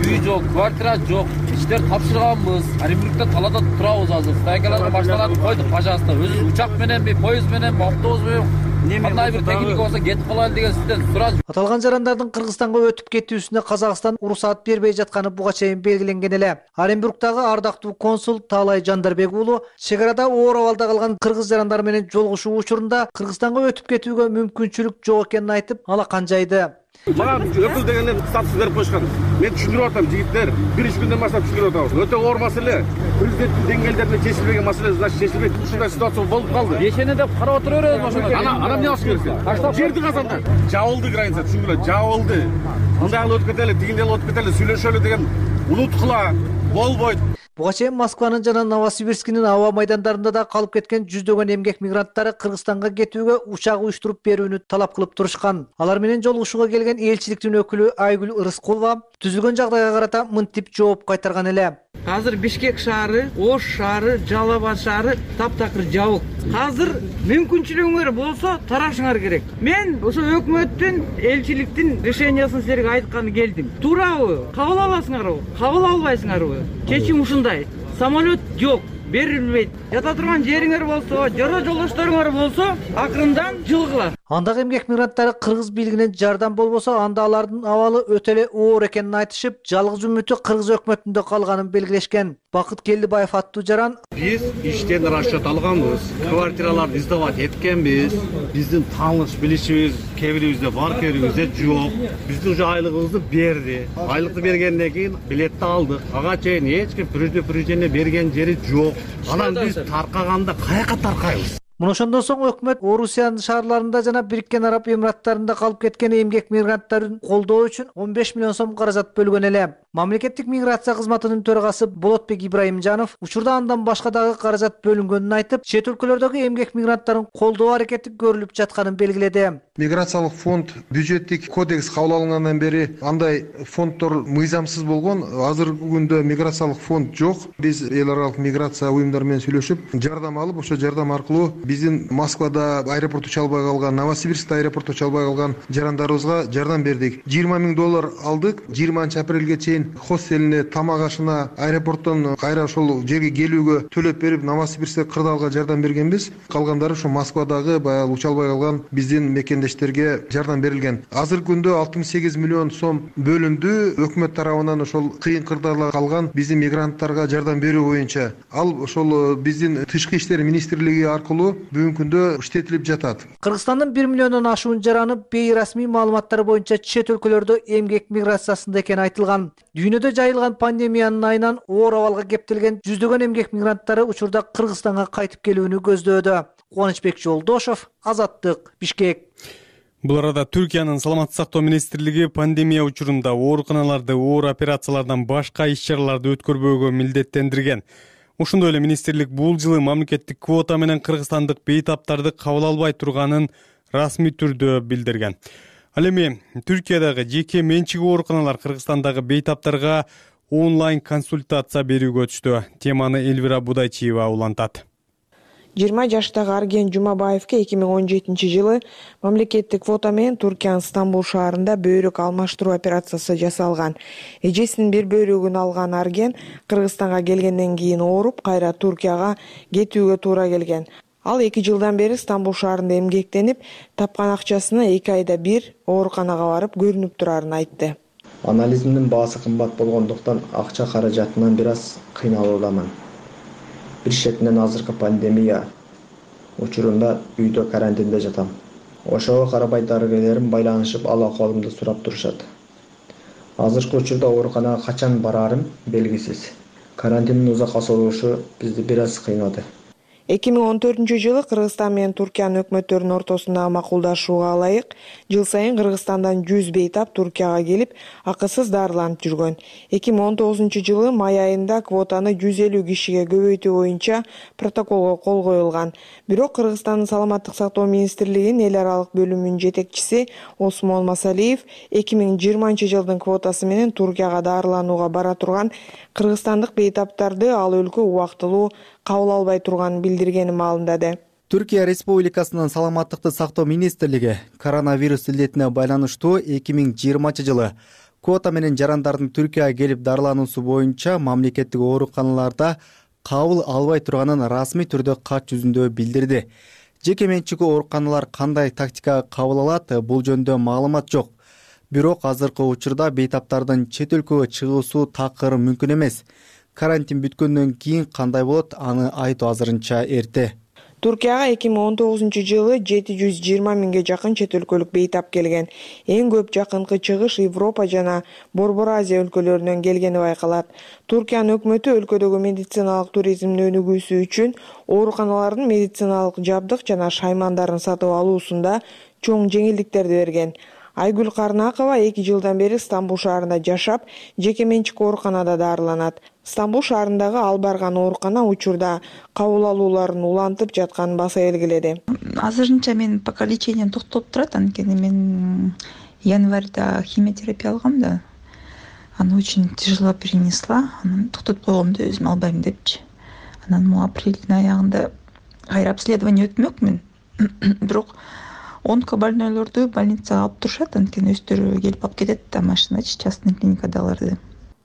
үй жок, квартира жок, иштер тапшырганбыз. Оренбургда талаада турабыз азыр. Стайкаларга башталат койдук, пожалуйста. Өзү учак мененби, поезд мененби, автобус менен кандай бир техника болсо кетип калайлы деген сизден сураж. Аталган жарандардын Кыргызстанга өтүп кетүүсүнө Казакстан уруксаат бербей жатканы буга чейин белгиленген эле. Оренбургдагы ардактуу консул Таалай Жандарбек уулу чек арада оор абалда калган кыргыз жарандар менен жолугушуу учурунда Кыргызстанга өтүп кетүүгө мүмкүнчүлүк жок экенин айтып, алакан жайды. Мага өкүл дегендер статус берип койушкан. Мен түшүндүрүп атам, жигиттер, бир үч күндөн баштап түшүндүрүп атабыз. Өтө оор маселе. Президенттин деңгээлдеринде чечилбеген маселе, значит, чечилбейт. Ушундай ситуация болуп калды. Ешене деп карап отура беребиз ошондо. Ана ана эмне кылыш керек? Жерди казанда жабылды граница, түшүнгүлө, жабылды. Мындай кылып өтүп кетели, тигиндей кылып өтүп кетели, сүйлөшөлү деген унуткула болбойт. Буга чейин Москванын жана Новосибирскинин аба майдандарында да калып кеткен жүздөгөн эмгек мигранттары Кыргызстанга кетүүгө учак уюштуруп берүүнү талап кылып турушкан. Алар менен жолугушууга келген элчиликтин өкүлү Айгүл Ырыскулова түзүлгөн жагдайга карата мынтип жооп кайтарган эле. Азыр Бишкек шаары, Ош шаары, Жалал Абад шаары таптакыр жабык. Азыр мүмкүнчүлүгүңөр болсо тарашыңар керек. Мен ошо өкмөттүн, элчиликтин решениясын силерге айтканы келдим. Туурабы? Кабыл аласыңарбы? Кабыл албайсыңарбы? Чечим ушундай. Самолет жок, берилбейт. Жата турган жериңер болсо, жора жолдошторуңар болсо, акырындан жылгыла. Андагы эмгек мигранттары кыргыз бийлигинен жардам болбосо, анда алардын абалы өтө эле оор экенин айтышып, жалгыз үмүтү кыргыз өкмөтүндө калганын белгилешкен. Бакыт Келдибаев аттуу жаран: Биз иштен расчет алганбыз, квартираларды издавать эткенбиз. Биздин тааныш билишибиз кээ бирибизде бар, кээ бирибизде жок. Биздин уже айлыгыбызды берди. Айлыкты бергенден кийин билетти алдык. Ага чейин эч ким предупреждение берген жери жок. Анан биз таркаганда каяка таркайбыз? Мына ошондон соң өкмөт Орусиянын шаарларында жана Бириккен Араб Эмираттарында калып кеткен эмгек мигранттарын колдоо үчүн он беш миллион сом каражат бөлгөн эле. Мамлекеттик миграция кызматынын төрагасы Болотбек Ибраимжанов учурда андан башка дагы каражат бөлүнгөнүн айтып, чет өлкөлөрдөгү эмгек мигранттарын колдоо аракети көрүлүп жатканын белгиледи. Миграциялык фонд бюджеттик кодекс кабыл алынгандан бери андай фонддор мыйзамсыз болгон. Азыркы күндө миграциялык фонд жок. Биз эл аралык миграция уюмдары менен сүйлөшүп, жардам алып, ошо жардам аркылуу биздин Москвада аэропорту чалбай калган, Новосибирскте аэропорту чалбай калган жарандарыбызга жардам бердик. жыйырма миң доллар алдык. жыйырманчы апрелге чейин хостелине, тамак ашына, аэропорттон кайра ошол жерге келүүгө төлөп берип, Новосибирскте кырдаалга жардам бергенбиз. Калгандары ошо Москвадагы баягы учалбай калган биздин мекендештерге жардам берилген. Азыркы күндө алтымыш сегиз миллион сом бөлүндү өкмөт тарабынан ошол кыйын кырдаалда калган биздин мигранттарга жардам берүү боюнча. Ал ошол биздин тышкы иштер министрлиги аркылуу бүгүнкү күндө иштетилип жатат. Кыргызстандын бир миллиондон ашуун жараны бейрасмий маалыматтар боюнча чет өлкөлөрдө эмгек миграциясында экени айтылган. Дүйнөдө жайылган пандемиянын айынан оор абалга кептелген жүздөгөн эмгек мигранттары учурда Кыргызстанга кайтып келүүнү көздөөдө. Кубанычбек Жолдошов, Азаттык, Бишкек. Бул арада Түркиянын саламаттык сактоо министрлиги пандемия учурунда ооруканаларды оор операциялардан башка иш-чараларды өткөрбөөгө милдеттендирген. Ошондой эле министрлик бул жылы мамлекеттик квота менен кыргызстандык бейтаптарды кабыл албай турганын расмий түрдө билдирген. Ал эми Түркиядагы жеке менчик ооруканалар Кыргызстандагы бейтаптарга онлайн консультация берүүгө өтүштү. Теманы Элвира Будайчиева улантат. жыйырма жаштагы Арген Жумабаевке эки миң он жетинчи жылы мамлекеттик квота менен Туркиянын Стамбул шаарында бөйрөк алмаштыруу операциясы жасалган. Эжесинин бир бөйрөгүн алган Арген Кыргызстанга келгенден кийин ооруп, кайра Туркияга кетүүгө туура келген. Ал эки жылдан бери Стамбул шаарында эмгектенип, тапкан акчасына эки айда бир ооруканага барып көрүнүп турарын айтты. Анализимдин баасы кымбат болгондуктан акча каражатынан бир аз кыйналуудамын. Бир четинен азыркы пандемия учурунда үйдө карантинде жатам. Ошого карабай дарыгерлерим байланышып ал акыбалымды сурап турушат. Азыркы учурда ооруканага качан барарым белгисиз. Карантиндин узакка созулушу бизди бир аз кыйнады. эки миң он төртүнчү жылы Кыргызстан менен Туркиянын өкмөттөрүнүн ортосундагы макулдашууга ылайык жыл сайын Кыргызстандан жүз бейтап Туркияга келип, акысыз дарыланып жүргөн. эки миң он тогузунчу жылы май айында квотаны жүз элүү кишиге көбөйтүү боюнча протоколго кол коюлган. Бирок Кыргызстандын Саламаттык сактоо министрлигинин эл аралык бөлүмүнүн жетекчиси Осмон Масалиев эки миң жыйырманчы жылдын квотасы менен Туркияга дарыланууга бара турган кыргызстандык бейтаптарды ал өлкө убактылуу кабыл албай турганын билдиргени маалымдады. Түркия Республикасынын Саламаттыкты сактоо министрлиги коронавирус илдетине байланыштуу эки миң жыйырманчы жылы квота менен жарандардын Түркияга келип дарылануусу боюнча мамлекеттик ооруканаларда кабыл албай турганын расмий түрдө кат жүзүндө билдирди. Жеке менчик ооруканалар кандай тактикага кабыл алат, бул жөнүндө маалымат жок. Бирок азыркы учурда бейтаптардын чет өлкөгө чыгуусу такыр мүмкүн эмес. Карантин бүткөндөн кийин кандай болот, аны айтуу азырынча эрте. Туркияга эки миң он тогузунчу жылы жети жүз жыйырма миңге жакын чет өлкөлүк бейтап келген. Эң көп жакынкы чыгыш Европа жана Борбор Азия өлкөлөрүнөн келгени байкалат. Туркиянын өкмөтү өлкөдөгү медициналык туризмди өнүгүүсү үчүн ооруканалардын медициналык жабдык жана шаймандарын сатып алуусунда чоң жеңилдиктерди берген. Айгүл Карнакова эки жылдан бери Стамбул шаарында жашап, жеке менчик ооруканада дарыланат. Стамбул шаарындагы ал барган оорукана учурда кабыл алууларын улантып жатканын баса белгиледи. Азырынча мен пока лечением токтоп турат, анткени мен январда химиотерапия алгам да. Аны очень тяжело перенесла. Анан токтотуп койгомду өзүм албайм депчи. Анан могу апрелдин аягында кайра обследование өтмөкмүн. Бирок онкобольнойлорду больницага алып турушат, анткени өздөрү келип алып кетет да машиначы, частный клиникадагыларды.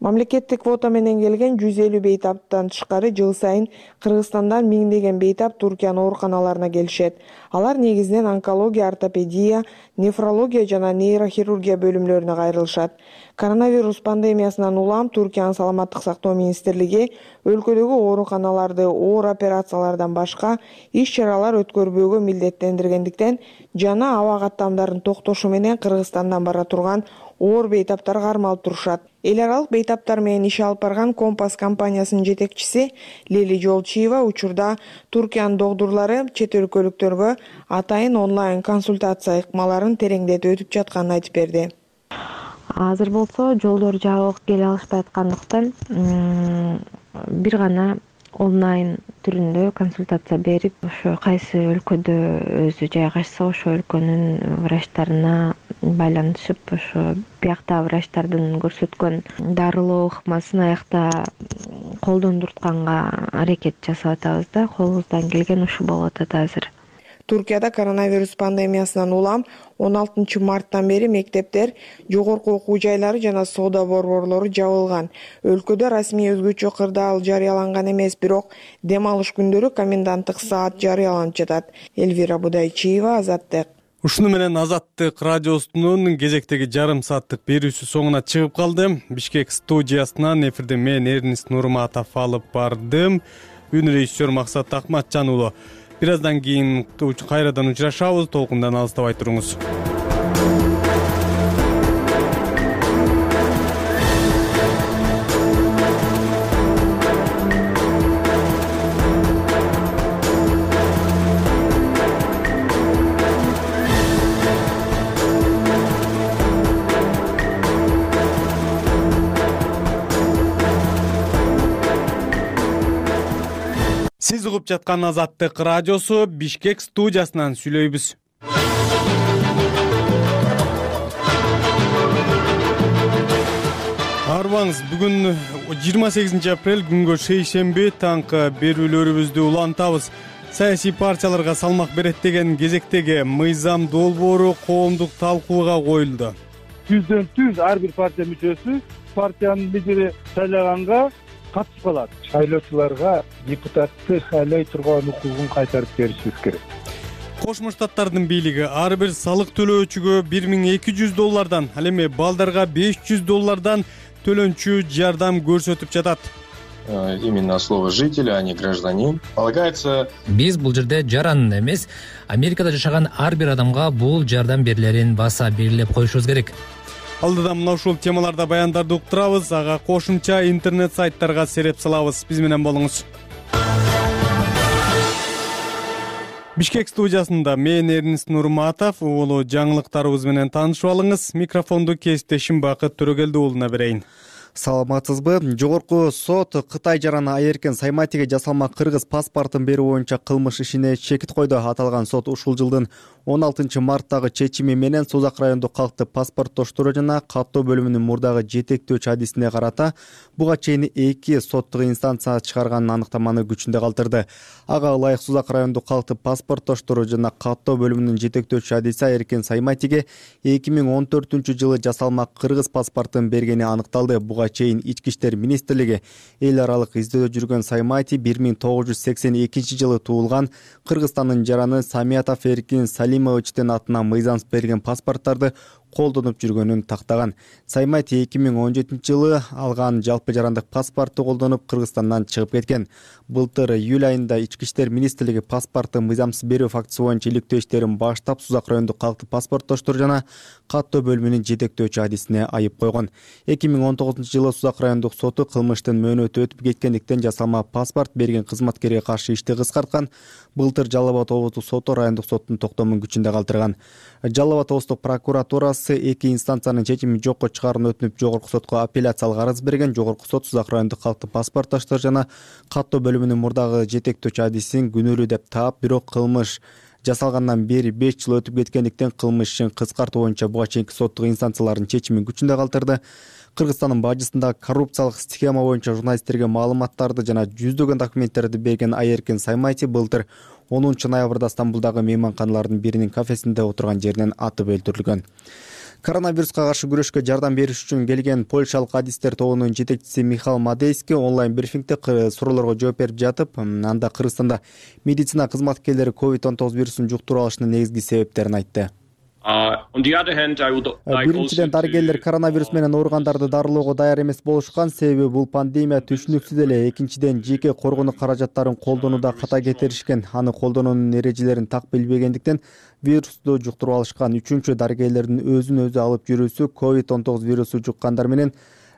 Мамлекеттик квота менен келген жүз элүү бейтаптан тышкары жыл сайын Кыргызстандан миңдеген бейтап Туркиянын ооруканаларына келишет. Алар негизинен онкология, ортопедия, нефрология жана нейрохирургия бөлүмлөрүнө кайрылышат. Коронавирус пандемиясынан улам Туркиянын Саламаттык сактоо министрлиги өлкөдөгү ооруканаларды оор операциялардан башка иш-чаралар өткөрбөөгө милдеттендиргендиктен жана аба каттамдарын токтошу менен Кыргызстандан бара турган оор бейтаптар кармалып турушат. Эл аралык бейтаптар менен иш алып барган Компас компаниясынын жетекчиси Лели Жолчиева учурда Туркиянын докторлору чет өлкөлүктөргө атайын онлайн консультация ыкмаларын тереңдетип өтүп жатканын айтып берди. Азыр болсо жолдор жабык, келе алышпай аткандыктан бир гана онлайн түрүндө консультация берип, ошо кайсы өлкөдө өзү жайгашса ошо өлкөнүн врачтарына байланышып, ошо бияктагы врачтардын көрсөткөн дарылоо ыкмасын аякта колдондуртканга аракет жасап атабыз да. Колубуздан келген ушу болуп атат азыр. Туркияда коронавирус пандемиясынан улам он алтынчы марттан бери мектептер, жогорку окуу жайлары жана соода борборлору жабылган. Өлкөдө расмий өзгөчө кырдаал жарыяланган эмес, бирок дем алыш күндөрү коменданттык саат жарыяланып жатат. Элвира Будайчиева, Азаттык. Ушуну менен Азаттык радиосунун кезектеги жарым сааттык берүүсү соңуна чыгып калды. Бишкек студиясынан эфирде мен Эрнист Нурматов алып бардым. Үн режиссер Максат Акматжан уулу. Бир аздан кийин кайрадан учурашабыз. Толкундан алыстабай туруңуз. Сиз угуп жаткан Азаттык радиосу Бишкек студиясынан сүйлөйбүз. Арбаңыз, бүгүн жыйырма сегизинчи апрель күнгө шейшемби таңкы берүүлөрүбүздү улантабыз. Саясий партияларга салмак берет деген кезектеги мыйзам долбоору коомдук талкууга коюлду. Түздөн түз ар бир партия мүчөсү партиянын лидери сайлаганга катышып калат. Шайлоочуларга депутатты шайлай турган укугун кайтарып беришибиз керек. Кошмо Штаттардын бийлиги ар бир салык төлөөчүгө бир миң эки жүз доллардан, ал эми балдарга беш жүз доллардан төлөнчү жардам көрсөтүп жатат. Именно слово житель, а не гражданин. Полагается, биз бул жерде жаран эмес, Америкада жашаган ар бир адамга бул жардам берилерин баса белгилеп коюшубуз керек. Алдыда мына ушул темаларда баяндарды уктурабыз, ага кошумча интернет сайттарга сереп салабыз. Биз менен болуңуз. Бишкек студиясында мен Эрнис Нурматов, улуу жаңылыктарыбыз менен таанышып алыңыз. Микрофонду кесиптешим Бакыт Төрөгелди уулуна берейин. Саламатсызбы? Жогорку сот Кытай жараны Айеркен Сайматиге жасалма кыргыз паспортун берүү боюнча кылмыш ишине чекит койду. Аталган сот ушул жылдын он алтынчы марттагы чечими менен Созак райондук калктык паспорттоштуруу жана каттоо бөлүмүнүн мурдагы жетектөөчү адисине карата буга чейин эки соттук инстанция чыгарган аныктаманы күчүндө калтырды. Ага ылайык Созак райондук калктык паспорттоштуруу жана каттоо бөлүмүнүн жетектөөчү адиси Айеркен Сайматиге эки миң он төртүнчү жылы жасалма кыргыз паспортун бергени аныкталды. Буга чейин Ички иштер министрлиги эл аралык издөөдө жүргөн Саймати бир миң тогуз жүз сексен экинчи жылы туулган Кыргызстандын жараны Самиятов Эркин Салимовичтин атына мыйзамсыз берген паспорттарды колдонуп жүргөнүн тактаган. Саймати эки миң он жетинчи жылы алган жалпы жарандык паспорту колдонуп Кыргызстандан чыгып кеткен. Былтыр июль айында Ички иштер министрлиги паспорту мыйзамсыз берүү фактысы боюнча иликтөө иштерин баштап Созак райондук калктык паспорттоштуруу жана каттоо бөлүмүнүн жетектөөчү адисине айып койгон. эки миң он тогузунчу жылы Созак райондук соту кылмыштын мөөнөтү өтүп кеткендиктен жасалма паспорт берген кызматкерге каршы ишти кыскарткан. Былтыр Жалал Абад облустук соту райондук соттун токтомун күчүндө калтырган. Жалал Абад облустук прокуратурасы эки инстанциянын чечимин жокко чыгаруун өтүнүп жогорку сотко апелляциялык арыз берген. Жогорку сот Созак райондук калктык паспорттоштор жана каттоо бөлүмүнүн мурдагы жетектөөчү адисин күнөөлүү деп таап, бирок кылмыш жасалгандан бери беш жыл өтүп кеткендиктен кылмыш ишин кыскартуу боюнча буга чейинки соттук инстанциялардын чечимин күчүндө калтырды. Кыргызстандын бажысында коррупциялык схема боюнча журналисттерге маалыматтарды жана жүздөгөн документтерди берген Айеркен Саймати былтыр онунчу ноябрда Стамбулдагы мейманканалардын биринин кафесинде отурган жеринен атып өлтүрүлгөн. Коронавируска каршы күрөшкө жардам бериш үчүн келген польшалык адистер тобунун жетекчиси Михаил Мадейский онлайн брифингде суроолорго жооп берип жатып, анда Кыргызстанда медицина кызматкерлери ковид он тогуз вирусун жуктуруп алышынын негизги себептерин айтты. Биринчиден, дарыгерлер коронавирус менен ооругандарды дарылоого даяр эмес болушкан, себеби бул пандемия түшүнүксүз эле. Экинчиден, жеке коргонуу каражаттарын колдонууда ката кетиришкен, аны колдонуунун эрежелерин так билбегендиктен вирусту жуктуруп алышкан. Үчүнчү, дарыгерлердин өзүн өзү алып жүрүүсү ковид он тогуз вирусу жуккандар менен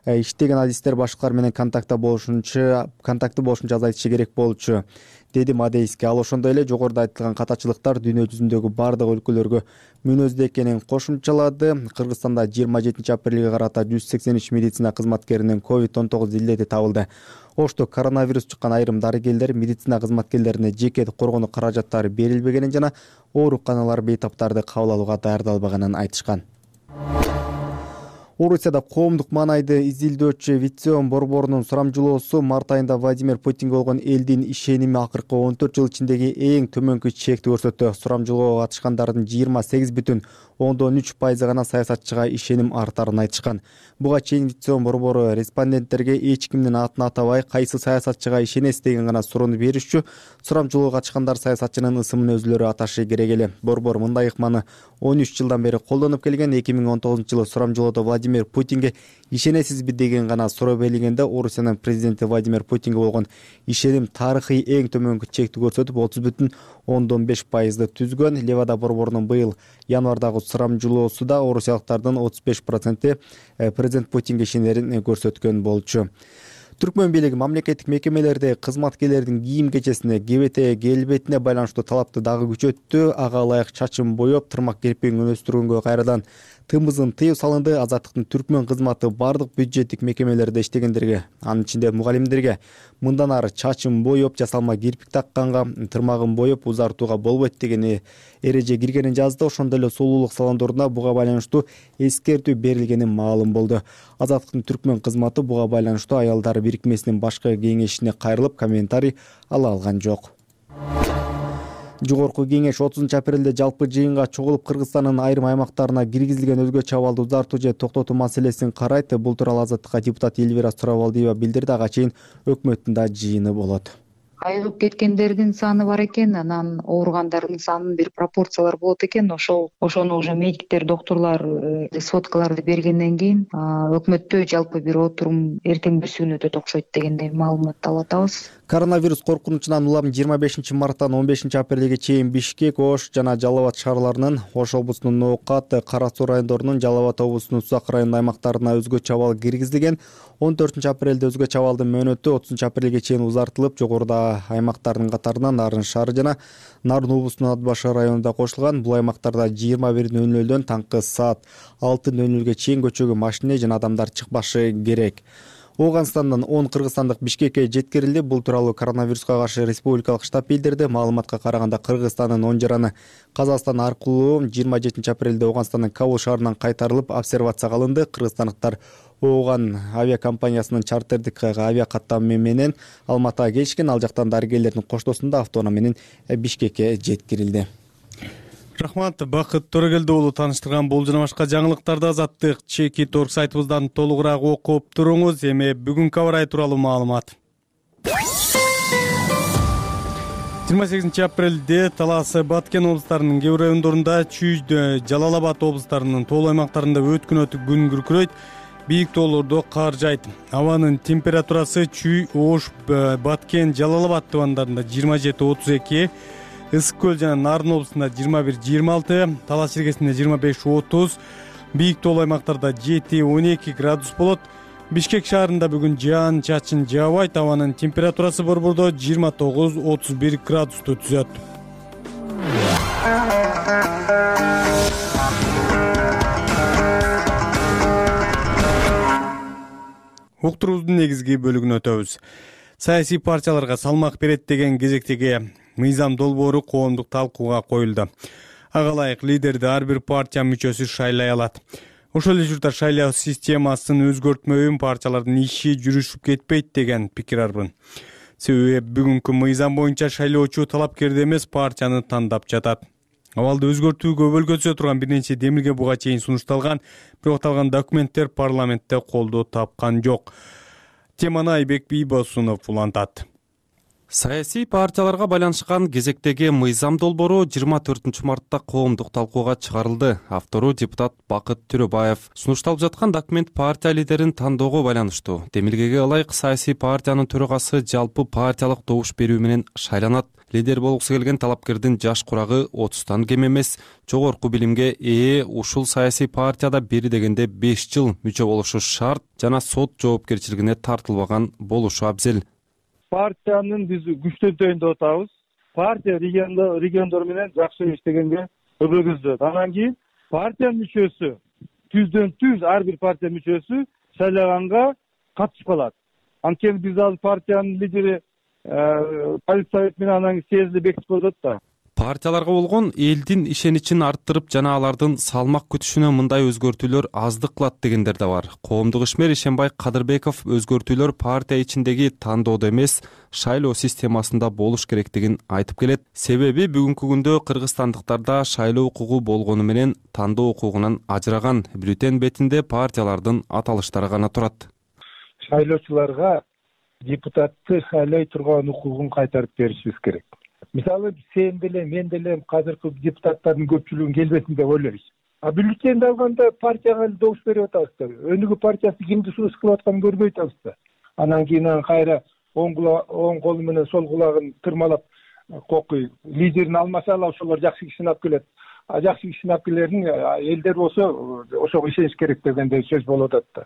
иштеген адистер башкалар менен контактта болушунча контакты болушунча азайтышы керек болчу, деди Мадейский. Ал ошондой эле жогоруда айтылган катачылыктар дүйнө жүзүндөгү бардык өлкөлөргө мүнөздүү экенин кошумчалады. Кыргызстанда жыйырма жетинчи апрелге карата жүз сексен үч медицина кызматкеринин ковид он тогуз илдети табылды. Ошто коронавирус жуккан айрым дарыгерлер медицина кызматкерлерине жеке коргонуу каражаттары берилбегенин жана ооруканалар бейтаптарды кабыл алууга даярдалбаганын айтышкан. Орусияда коомдук маанайды изилдөөчү Витсеон борборунун сурамжылоосу март айында Владимир Путинге болгон элдин ишеними акыркы он төрт жыл ичиндеги эң төмөнкү чекти көрсөттү. Сурамжылоого катышкандардын жыйырма сегиз бүтүн ондон үч пайызы гана саясатчыга ишеним артарын айтышкан. Буга чейин Витсеон борбору респонденттерге эч кимдин атын атабай, кайсы саясатчыга ишенесиз деген гана суроону беришчү. Сурамжылоого катышкандар саясатчынын ысымын өзүлөрү аташы керек эле. Борбор мындай ыкманы он үч жылдан бери колдонуп келген. эки миң он тогузунчу жылы сурамжылоодо Владимир Путинге ишенесизби деген гана суроо берилгенде Орусиянын президенти Владимир Путинге болгон ишеним тарыхый эң төмөнкү чекти көрсөтүп отуз бүтүн ондон беш пайызды түзгөн. Левада борборунун быйыл январдагы сурамжылоосуда орусиялыктардын отуз беш проценти президент Путинге ишенерин көрсөткөн болчу. Түркмөн бийлиги мамлекеттик мекемелерде кызматкерлердин кийим кечесине, кебете, келбетине байланыштуу талапты дагы күчөттү. Ага ылайык чачын боеп, тырмак кирпигин өстүргөнгө кайрадан тымызын тыюу салынды. Азаттыктын Түркмөн кызматы бардык бюджеттик мекемелерде иштегендерге, анын ичинде мугалимдерге мындан ары чачын боеп, жасалма кирпик такканга, тырмагын боеп узартууга болбойт деген эреже киргенин жазды. Ошондой эле сулуулук салондоруна буга байланыштуу эскертүү берилгени маалым болду. Азаттыктын Түркмөн кызматы буга байланыштуу аялдар бирикмесинин башкы кеңешине кайрылып, комментарий ала алган жок. Жогорку кеңеш отузунчу апрелде жалпы жыйынга чогулуп Кыргызстандын айрым аймактарына киргизилген өзгөчө абалды узартуу же токтотуу маселесин карайт. Бул тууралуу Азаттыкка депутат Эльвира Сурабалдиева билдирди. Ага чейин өкмөттүн да жыйыны болот. Айыгып кеткендердин саны бар экен, анан ооругандардын санынын бир пропорциялар болот экен. Ошол ошону уже медиктер, доктурлар сводкаларды бергенден кийин өкмөттө жалпы бир отурум эртеңбүсүн өтөт окшойт дегендей маалымат алып атабыз. Коронавирус коркунучунан улам жыйырма бешинчи марттан он бешинчи апрелге чейин Бишкек, Ош жана Жалал Абад шаарларынын, Ош облусунун Ноокат, Кара Суу райондорунун, Жалал Абад облусунун Сузак районунун аймактарына өзгөчө абал киргизилген. он төртүнчү апрелде өзгөчө абалдын мөөнөтү отузунчу апрелге чейин узартылып, жогоруда аймактардын катарына Нарын шаары жана Нарын облусунун Ат Башы районунда кошулган. Бул аймактарда жыйырма бир нөл нөлдөн таңкы саат алты нөл нөлгө чейин көчөгө машине жана адамдар чыкпашы керек. Ооганстандан он кыргызстандык Бишкекке жеткирилди. Бул тууралуу коронавируска каршы республикалык штаб билдирди. Маалыматка караганда Кыргызстандын он жараны Казакстан аркылуу жыйырма жетинчи апрелде Ооганстандын Кабул шаарынан кайтарылып обсервацияга алынды. Кыргызстандыктар Ооган авиакомпаниясынын чартердик авиакаттамы менен Алматыга келишкен. Ал жактан дарыгерлердин коштоосунда автоунаа менен Бишкекке жеткирилди. Рахмат, Бакыт Төрөгелди уулу тааныштырган бул жана башка жаңылыктарды Азаттык чеки торг сайтыбыздан толугураак окуп туруңуз. Эми бүгүнкү аба ырайы тууралуу маалымат. жыйырма сегизинчи апрелде Талас, Баткен облустарынын кээ бир райондорунда, Чүйдө, Жалал Абад облустарынын тоолуу аймактарында өткүнөтүк күн күркүрөйт. Бийик тоолордо кар жайт. Абанын температурасы Чүй, Ош, Баткен, Жалал Абад тубандарында жыйырма жети отуз эки, Ысык көл жана Нарын облусунда жыйырма бир жыйырма алты, Талас иргесинде жыйырма беш отуз, бийик тоолуу аймактарда жети он эки градус болот. Бишкек шаарында бүгүн жаан чачын жаабайт. Абанын температурасы борбордо жыйырма тогуз отуз бир градусту түзөт. Уктуруубуздун негизги бөлүгүнө өтөбүз. Саясий партияларга салмак берет деген кезектеги мыйзам долбоору коомдук талкууга коюлду. Ага ылайык лидерди ар бир партия мүчөсү шайлай алат. Ошол эле учурда шайлоо системасын өзгөртмөйүн партиялардын иши жүрүшүп кетпейт деген пикир арбын. Себеби бүгүнкү мыйзам боюнча шайлоочу талапкерди эмес партияны тандап жатат. Абалды өзгөртүүгө өлгөзө турган бир нече демилге буга чейин сунушталган, бирок аталган документтер парламентте колдоо тапкан жок. Теманы Айбек Бийбосунов улантат. Саясий партияларга байланышкан кезектеги мыйзам долбоору жыйырма төртүнчү мартта коомдук талкууга чыгарылды. Автору депутат Бакыт Төрөбаев. Сунушталып жаткан документ партия лидерин тандоого байланыштуу. Демилгеге ылайык саясий партиянын төрагасы жалпы партиялык добуш берүү менен шайланат. Лидер болгусу келген талапкердин жаш курагы отуздан кем эмес, жогорку билимге ээ, ушул саясий партияда бери дегенде беш жыл мүчө болушу шарт жана сот жоопкерчилигине тартылбаган болушу абзел. Партиянын биз күчтөнтөйүн деп атабыз. Партия региондор менен жакшы иштегенге өбөгөздөт. Анан кийин партиянын мүчөсү түздөн түз ар бир партия мүчөсү шайлаганга катышып калат. Анткени биз ал партиянын лидери полиция менен анан съезди бекитип коет да. Партияларга болгон элдин ишеничин арттырып жана алардын салмак күтүшүнө мындай өзгөртүүлөр аздык кылат дегендер да бар. Коомдук ишмер Ишенбай Кадырбеков өзгөртүүлөр партия ичиндеги тандоодо эмес, шайлоо системасында болуш керектигин айтып келет. Себеби бүгүнкү күндө кыргызстандыктарда шайлоо укугу болгону менен тандоо укугунан ажыраган. Бюллетень бетинде партиялардын аталыштары гана турат. Шайлоочуларга депутатты шайлай турган укугун кайтарып беришибиз керек. Мисалы сен деле мен деле азыркы депутаттардын көпчүлүгүн келбесин деп ойлойбуз. А бюллетенди алганда партияга добуш берип атабыз да. Өнүгүү партиясы кимди сунуш кылып атканын көрбөй атабыз да. Анан кийин кайра оң колу менен сол кулагын тырмалап кокуй лидерин алмаса ала ошолор жакшы кишини алып келет. А жакшы кишини алып келерин элдер болсо ошого ишениш керек дегендей сөз болуп атат да.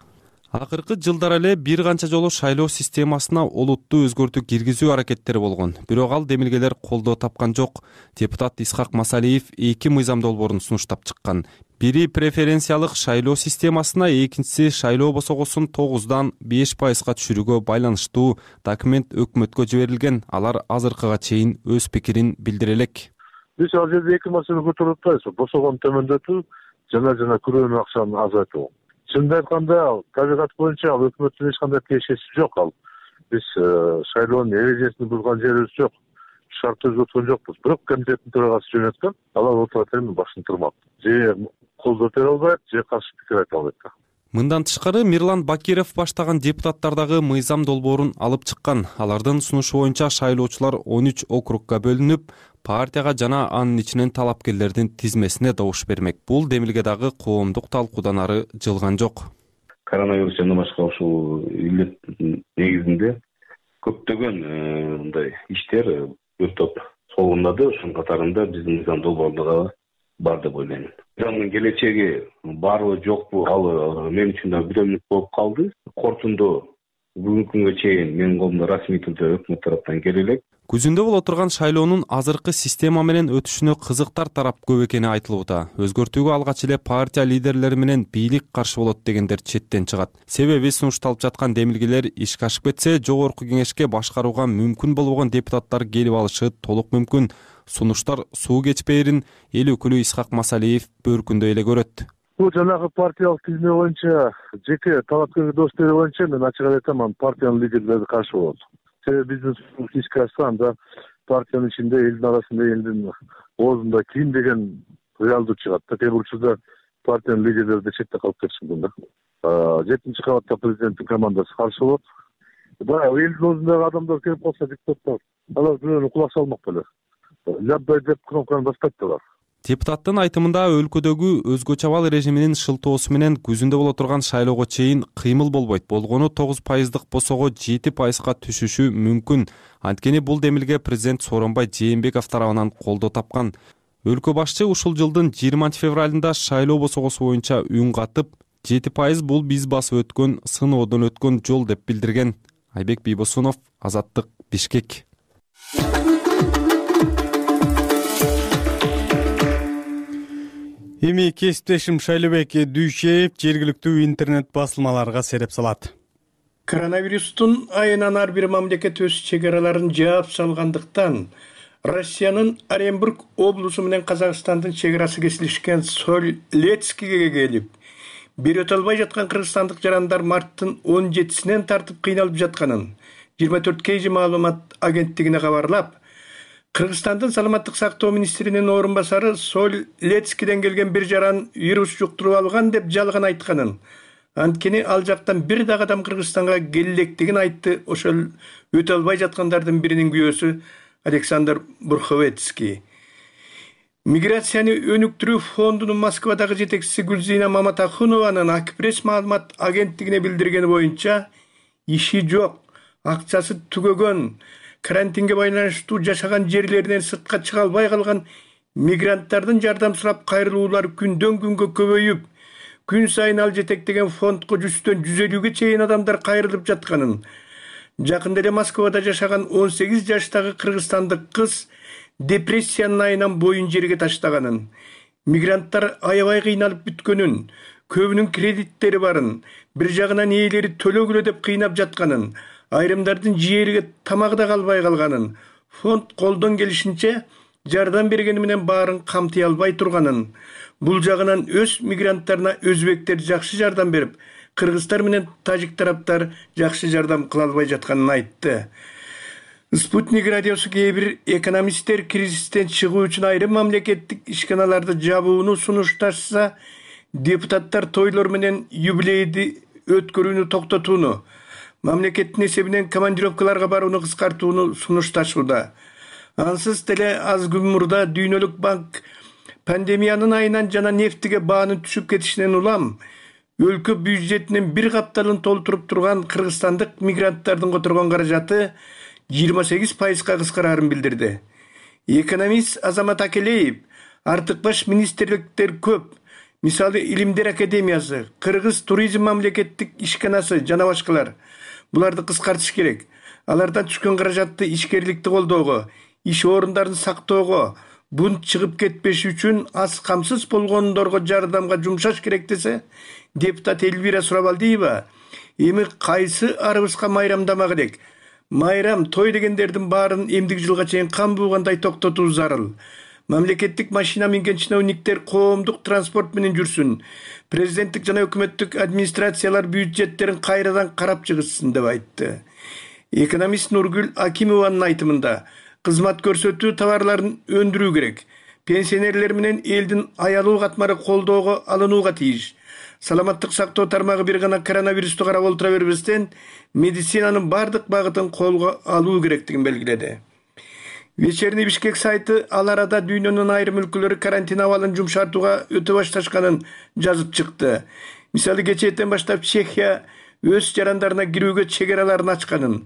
Акыркы жылдары эле бир канча жолу шайлоо системасына олуттуу өзгөртүү киргизүү аракеттери болгон, бирок ал демилгелер колдоо тапкан жок. Депутат Исхак Масалиев эки мыйзам долбоорун сунуштап чыккан. Бири преференциялык шайлоо системасына, экинчиси шайлоо босогосун тогуздан беш пайызга түшүрүүгө байланыштуу документ өкмөткө жиберилген. Алар азыркыга чейин өз пикирин билдире элек. Биз ал жерде эки маселе көтөрүп атпайбыз. Босогону төмөндөтүү жана жана күрөөнү акчаны азайтуу. Чынын айтканда, табигат боюнча ал өкмөттүн эч кандай тиешеси жок. Ал биз шайлоонун эрежесин булган жерибиз жок, шарт өзгөрткөн жокпуз. Бирок комитеттин төрагасы жөнөткөн, алар отура термин башын тырмак. Же колдоо бере албайт, же каршы пикир айта албайт. Мындан тышкары Мирлан Бакиров баштаган депутаттардагы мыйзам долбоорун алып чыккан. Алардын сунушу боюнча шайлоочулар он үч округга бөлүнүп, партияга жана анын ичинен талапкерлердин тизмесине добуш бермек. Бул демилге дагы коомдук талкуудан ары жылган жок. Коронавирус жана башка ушул илдеттин негизинде көптөгөн мындай иштер өтүп солундады. Ошонун катарында биздин мыйзам долбоорунда бар деп ойлойм. Мыйзамдын келечеги барбы жокпу, ал мен үчүн да бирөмлүк болуп калды. Корутунду бүгүнкү күнгө чейин менин колумда расмий түрдө өкмөт тараптан келе элек. Күзүндө боло турган шайлоонун азыркы система менен өтүшүнө кызыктар тарап көп экени айтылууда. Өзгөртүүгө алгач эле партия лидерлери менен бийлик каршы болот дегендер четтен чыгат. Себеби сунушталып жаткан демилгелер ишке ашып кетсе, жогорку кеңешке башкарууга мүмкүн болбогон депутаттар келип алышы толук мүмкүн. Сунуштар суу кечпээрин эл өкүлү Исхак Масалиев бөркүндө эле көрөт. Бул жанагы партиялык тизме боюнча, жеке талапкер достору боюнча мен ачык айтам, партиянын лидерлери каршы болот. Себеби биздин ишке ашса, анда партиянын ичинде, элдин арасында, элдин оозунда ким деген реалдуу чыгат. Кээ бир учурда партиянын лидерлери да четте калып кетиши мүмкүн да. Жетинчи кабатта президенттин командасы каршы болот. Баягы элдин оозундагы адамдар келип калса, депутаттар, алар бирөөнү кулак салмак беле. Лябдай деп кнопканы баспайт алар. Депутаттын айтымында өлкөдөгү өзгөчө абал режиминин шылтоосу менен күзүндө боло турган шайлоого чейин кыймыл болбойт. Болгону тогуз пайыздык босого жети пайызга түшүшү мүмкүн. Анткени бул демилге президент Сооронбай Жээнбеков тарабынан колдоо тапкан. Өлкө башчы ушул жылдын жыйырманчы февралында шайлоо босогосу боюнча үн катып, жети пайыз бул биз басып өткөн сыноодон өткөн жол деп билдирген. Айбек Бийбосунов, Азаттык, Бишкек. Эми кесиптешим Шайлебек Дүйшеев жергиликтүү интернет басылмаларга сереп салат. Коронавирустун айынан ар бир мамлекет өз чек араларын жаап салгандыктан Россиянын Оренбург облусу менен Казакстандын чек арасы кесилишкен Соль-Илецкиге келип, бир өтө албай жаткан кыргызстандык жарандар марттын он жетисинен тартып кыйналып жатканын жыйырма төрт кей жи маалымат агенттигине кабарлап, Кыргызстандын саламаттык сактоо министринин орун басары Соль-Илецкиден келген бир жаран вирус жуктуруп алган деп жалган айтканын, анткени ал жактан бир дагы адам Кыргызстанга келелектигин айтты. Ошол өтө албай жаткандардын биринин күйөөсү Александр Бурховецкий. Миграцияны өнүктүрүү фондунун Москвадагы жетекчиси Гүлзина Маматахунованын Акпресс маалымат агенттигине билдиргени боюнча, иши жок, акчасы түгөгөн, карантинге байланыштуу жашаган жерлеринен сыртка чыга албай калган мигранттардын жардам сурап кайрылуулары күндөн күнгө көбөйүп, күн сайын ал жетектеген фондко жүздөн жүз элүүгө чейин адамдар кайрылып жатканын, жакында эле Москвада жашаган он сегиз жаштагы кыргызстандык кыз депрессиянын айынан боюн жерге таштаганын, мигранттар аябай кыйналып бүткөнүн, көбүнүн кредиттери барын, бир жагынан ээлери төлөгүлө деп кыйнап жатканын, айрымдардын жээрге тамагы да калбай калганын, фонд колдон келишинче жардам бергени менен баарын камтый албай турганын, бул жагынан өз мигранттарына өзбектер жакшы жардам берип, кыргыздар менен тажик тараптар жакшы жардам кыла албай жатканын айтты. Спутник радиосу кээ бир экономисттер кризистен чыгуу үчүн айрым мамлекеттик ишканаларды жабууну сунушташса, депутаттар тойлор менен юбилейди өткөрүүнү токтотууну, мамлекеттин эсебинен командировкаларга барууну кыскартууну сунушташууда. Ансыз деле аз күн мурда Дүйнөлүк банк пандемиянын айынан жана нефтиге баанын түшүп кетишинен улам өлкө бюджетинин бир капталын толтуруп турган кыргызстандык мигранттардын которгон каражаты жыйырма сегиз пайызга кыскараарын билдирди. Экономист Азамат Акелеев артык баш министрликтер көп, Мисалы Илимдер академиясы, Кыргыз туризм мамлекеттик ишканасы жана башкалар. Буларды кыскартыш керек. Алардан түшкөн каражатты ишкерликти колдоого, иш орундарын сактоого, бунт чыгып кетпеши үчүн аз камсыз болгондорго жардамга жумшаш керек десе, депутат Элвира Сурабалдиева эми кайсы арыбызга майрамдама керек? Майрам, той дегендердин баарын эмдик жылга чейин кан буугандай токтотуу зарыл. Мамлекеттик машина минген чиновниктер коомдук транспорт менен жүрсүн. Президенттик жана өкмөттүк администрациялар бюджеттерин кайрадан карап чыгышсын деп айтты. Экономист Нургүл Акимованын айтымында кызмат көрсөтүү товарларын өндүрүү керек. Пенсионерлер менен элдин аялуу катмары колдоого алынууга тийиш. Саламаттык сактоо тармагы бир гана коронавирусту карап олтура бербестен, медицинанын бардык багытын колго алуу керектигин белгиледи. Вечерний Бишкек сайты ал арада дүйнөнүн айрым өлкөлөрү карантин абалын жумшартууга өтө башташканын жазып чыкты. Мисалы кечээден баштап Чехия өз жарандарына кирүүгө чегераларын ачканын,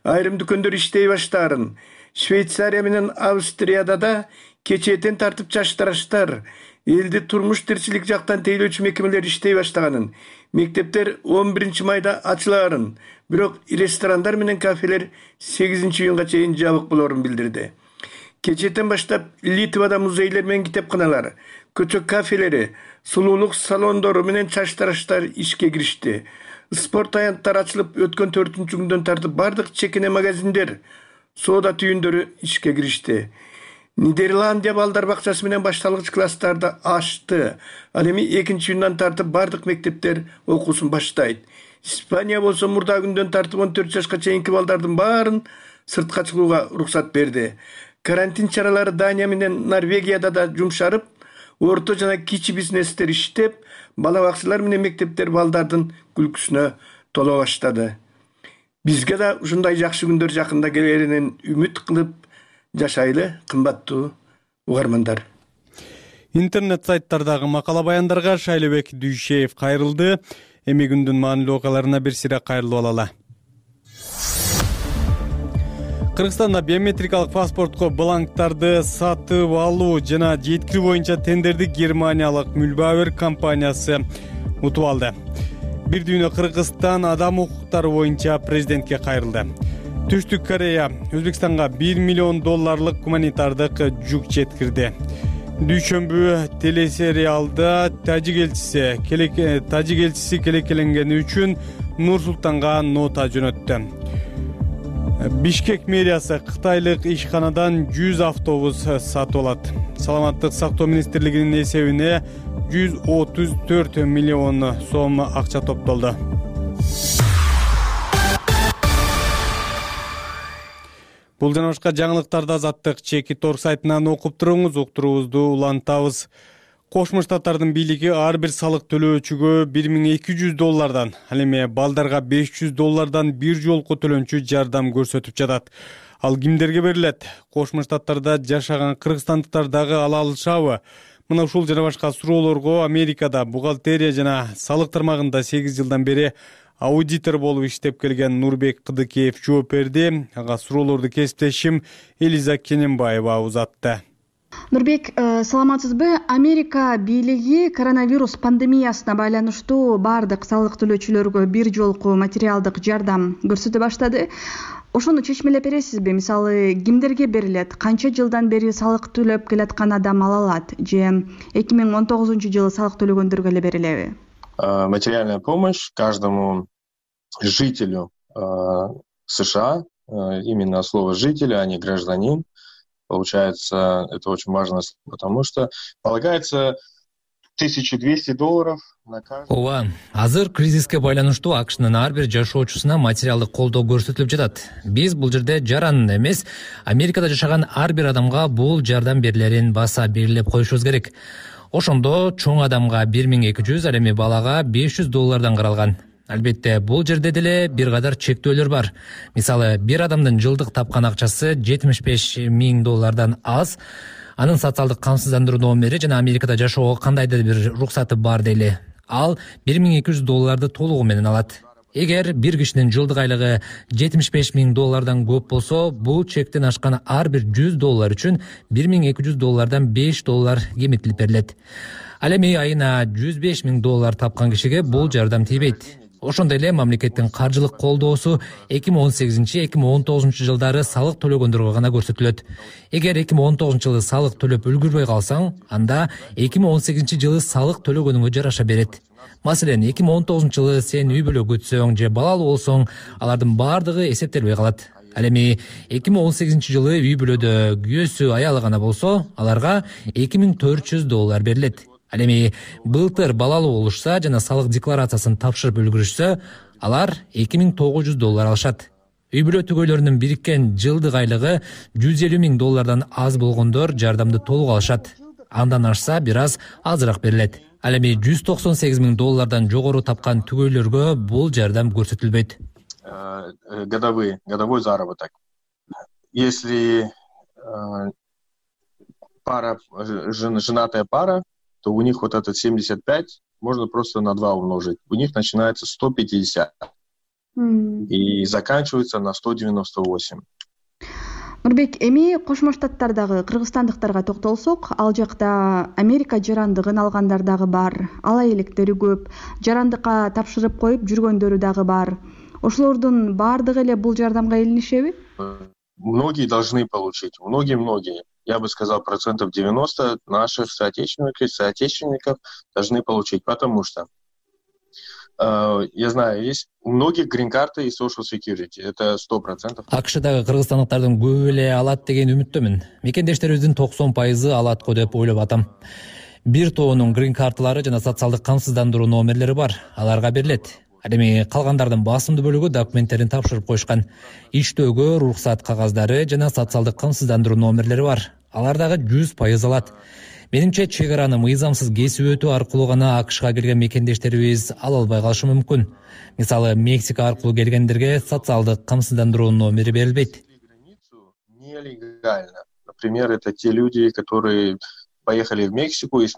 айрым дүкөндөр иштей баштаарын, Швейцария менен Австрияда да кечээден тартып чаштараштар, элди турмуш тирчилик жактан тейлөөчү мекемелер иштей баштаганын, мектептер он биринчи майда ачылаарын, бирок ресторандар менен кафелер сегизинчи июнга чейин жабык болоорун билдирди. Кечээден баштап Литвада музейлер менен китепканалар, көчө кафелери, сулуулук салондору менен чаштараштар ишке киришти. Спорт аянттары ачылып, өткөн төртүнчү күндөн тартып бардык чекене магазиндер, соода түйүндөрү ишке киришти. Нидерландия балдар бакчасы менен башталгыч класстарды ачты. Ал эми экинчи июндан тартып бардык мектептер окуусун баштайт. Испания болсо мурда күндөн тартып он төрт жашка чейинки балдардын баарын сыртка чыгууга уруксат берди. Карантин чаралары Дания менен Норвегияда да жумшарып, орто жана кичи бизнестер иштеп, бала бакчалар менен мектептер балдардын күлкүсүнө толо баштады. Бизге да ушундай жакшы күндөр жакында келеринен үмүт кылып жашайлы, кымбаттуу угармандар. Интернет сайттардагы макала баяндарга Шайлебек Дүйшеев кайрылды. Эми күндүн маанилүү окуяларына бир сыйра кайрылып алалы. Кыргызстанда биометрикалык паспортко бланктарды сатып алуу жана жеткирүү боюнча тендерди германиялык Мülbauer компаниясы утуп алды. Бир дүйнө Кыргызстан адам укуктары боюнча президентке кайрылды. Түштүк Корея Өзбекстанга бир миллион долларлык гуманитардык жүк жеткирди. Дүйшөмбү телесериалда тажик элчиси тажик элчиси келекеленгени үчүн Нур Султанга нота жөнөттү. Бишкек мэриясы кытайлык ишканадан жүз автобус сатып алат. Саламаттык сактоо министрлигинин эсебине жүз отуз төрт миллион сом акча топтолду. Бул жана башка жаңылыктарды Азаттык Чекит Торг сайтынан окуп туруңуз, уктуруубузду улантабыз. Кошмо Штаттардын бийлиги ар бир салык төлөөчүгө бир миң эки жүз доллардан, ал эми балдарга беш жүз доллардан бир жолку төлөнчү жардам көрсөтүп жатат. Ал кимдерге берилет? Кошмо Штаттарда жашаган кыргызстандыктар дагы ала алышабы? Мына ушул жана башка суроолорго Америкада бухгалтерия жана салык тармагында сегиз жылдан бери аудитор болуп иштеп келген Нурбек Кыдыкеев жооп берди. Ага суроолорду кесиптешим Элиза Кененбаева узатты. Нурбек, саламатсызбы? Америка бийлиги коронавирус пандемиясына байланыштуу бардык салык төлөөчүлөргө бир жолку материалдык жардам көрсөтө баштады. Ошону чечмелеп бересизби? Мисалы, кимдерге берилет? Канча жылдан бери салык төлөп келаткан адам ала алат? Же эки миң он тогузунчу жылы салык төлөгөндөргө эле берилеби? Материальная помощь каждому жителю США, именно слово «житель», а не «гражданин». Получается, это очень важно, потому что полагается тысяча двести долларов на каждый. Ооба, азыр кризиске байланыштуу АКШнын ар бир жашоочусуна материалдык колдоо көрсөтүлүп жатат. Биз бул жерде жаран эмес, Америкада жашаган ар бир адамга бул жардам берилерин баса белгилеп коюшубуз керек. Ошондо чоң адамга бир миң эки жүз, ал эми балага беш жүз доллардан каралган. Албетте, бул жерде деле бир кадар чектөөлөр бар. Мисалы, бир адамдын жылдык тапкан акчасы жетимиш беш миң доллардан аз, анын социалдык камсыздандыруу номери жана Америкада жашоого кандайдыр бир уруксаты бар дейли. Ал бир миң эки жүз долларды толугу менен алат. Эгер бир кишинин жылдык айлыгы жетимиш беш миң доллардан көп болсо, бул чектен ашкан ар бир жүз доллар үчүн бир миң эки жүз доллардан беш доллар кемитилип берилет. Ал эми айына жүз беш миң доллар тапкан кишиге бул жардам тийбейт. Ошондой эле мамлекеттин каржылык колдоосу эки миң он сегизинчи эки миң он тогузунчу жылдары салык төлөгөндөргө гана көрсөтүлөт. Эгер эки миң он тогузунчу жылы салык төлөп үлгүрбөй калсаң, анда эки миң он сегизинчи жылы салык төлөгөнүңө жараша берет. Маселен, эки миң он тогузунчу жылы сен үй бүлө күтсөң же балалуу болсоң, алардын бардыгы эсептелбей калат. Ал эми эки миң он сегизинчи жылы үй бүлөдө күйөөсү аялы гана болсо, аларга эки миң төрт жүз доллар берилет. Ал эми былтыр балалуу болушса жана салык декларациясын тапшырып үлгүрүшсө, алар эки миң тогуз жүз доллар алышат. Үй бүлө түгөйлөрүнүн бириккен жылдык айлыгы жүз элүү миң доллардан аз болгондор жардамды толук алышат. Андан ашса бир аз азыраак берилет. Ал эми жүз токсон сегиз миң доллардан жогору тапкан түгөйлөргө бул жардам көрсөтүлбөйт. Годовой, годовой заработок. Если э, пара, жен, женатая пара, то у них вот этот семьдесят пять можно просто на два умножить. У них начинается сто пятьдесят mm. и заканчивается на сто девяносто восемь. Нурбек, эми Кошмо Штаттардагы кыргызстандыктарга токтолсок, ал жакта Америка жарандыгын алгандар дагы бар, ала электери көп, жарандыкка тапшырып коюп жүргөндөрү дагы бар. Ошолордун бардыгы эле бул жардамга илинишеби? Многие должны получить, многие-многие. Я бы сказал, процентов девяносто наших соотечественников, соотечественников должны получить, потому что э, я знаю, есть у многих грин-карты и social security, это сто процентов. АКШдагы кыргызстандыктардын көбү эле алат деген үмүттөмүн. Мекендештерибиздин токсон пайызы алат го деп ойлоп атам. Бир тоонун грин-карталары жана социалдык камсыздандыруу номерлери бар, аларга берилет. Ал эми калгандардын басымдуу бөлүгү документтерин тапшырып коюшкан. Иштөөгө уруксат кагаздары жана социалдык камсыздандыруу номерлери бар. Алар дагы жүз пайыз алат. Менимче чек араны мыйзамсыз кесип өтүү аркылуу гана АКШга келген мекендештерибиз ала албай калышы мүмкүн. Мисалы, Мексика аркылуу келгендерге социалдык камсыздандыруу номери берилбейт. Нелегально. Например, это те люди, которые поехали в Мексику и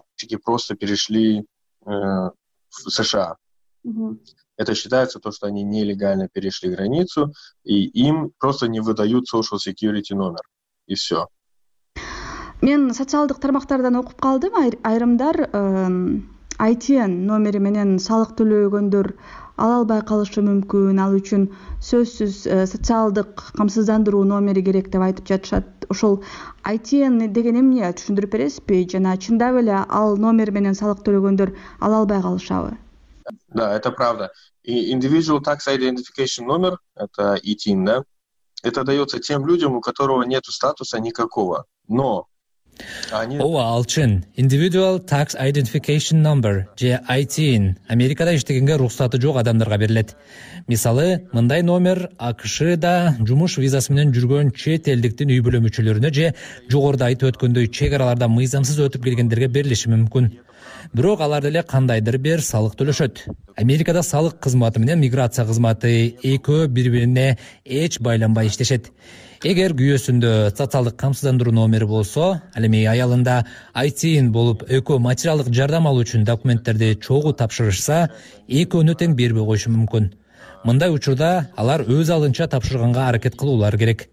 просто перешли э, в США. Угу. Это считается то, что они нелегально перешли границу, и им просто не выдают social security номер. И все. Мен социалдык тармактардан окуп калдым, айрымдар ай ти эн номери менен салык төлөгөндөр ала албай калышы мүмкүн, ал үчүн сөзсүз социалдык камсыздандыруу номери керек деп айтып жатышат. Ошол ай ти эн деген эмне, түшүндүрүп бересизби? Жана чындап эле ал номер менен салык төлөгөндөр ала албай калышабы? Да, это правда. И Individual Tax Identification номер, это ай ти эн, да, это дается тем людям, у которого нет статуса никакого. Но они... Ооба, ал чын. Individual Tax Identification Number, же ай ти эн, Америкада иштегенге уруксаты жок адамдарга берилет. Мисалы, мындай номер АКШда жумуш визасы менен жүргөн чет элдиктин үй бүлө мүчөлөрүнө же жогоруда айтып өткөндөй чек араларда мыйзамсыз өтүп келгендерге берилиши мүмкүн. Бирок алар деле кандайдыр бир салык төлөшөт. Америкада салык кызматы менен миграция кызматы экөө бири-бирине эч байланбай иштешет. Эгер күйөөсүндө социалдык камсыздандыруу номери болсо, ал эми аялында ай ти эн болуп экөө материалдык жардам алуу үчүн документтерди чогуу тапшырышса, экөөнү тең бербей коюшу мүмкүн. Мындай учурда алар өз алдынча тапшырганга аракет кылуулары керек.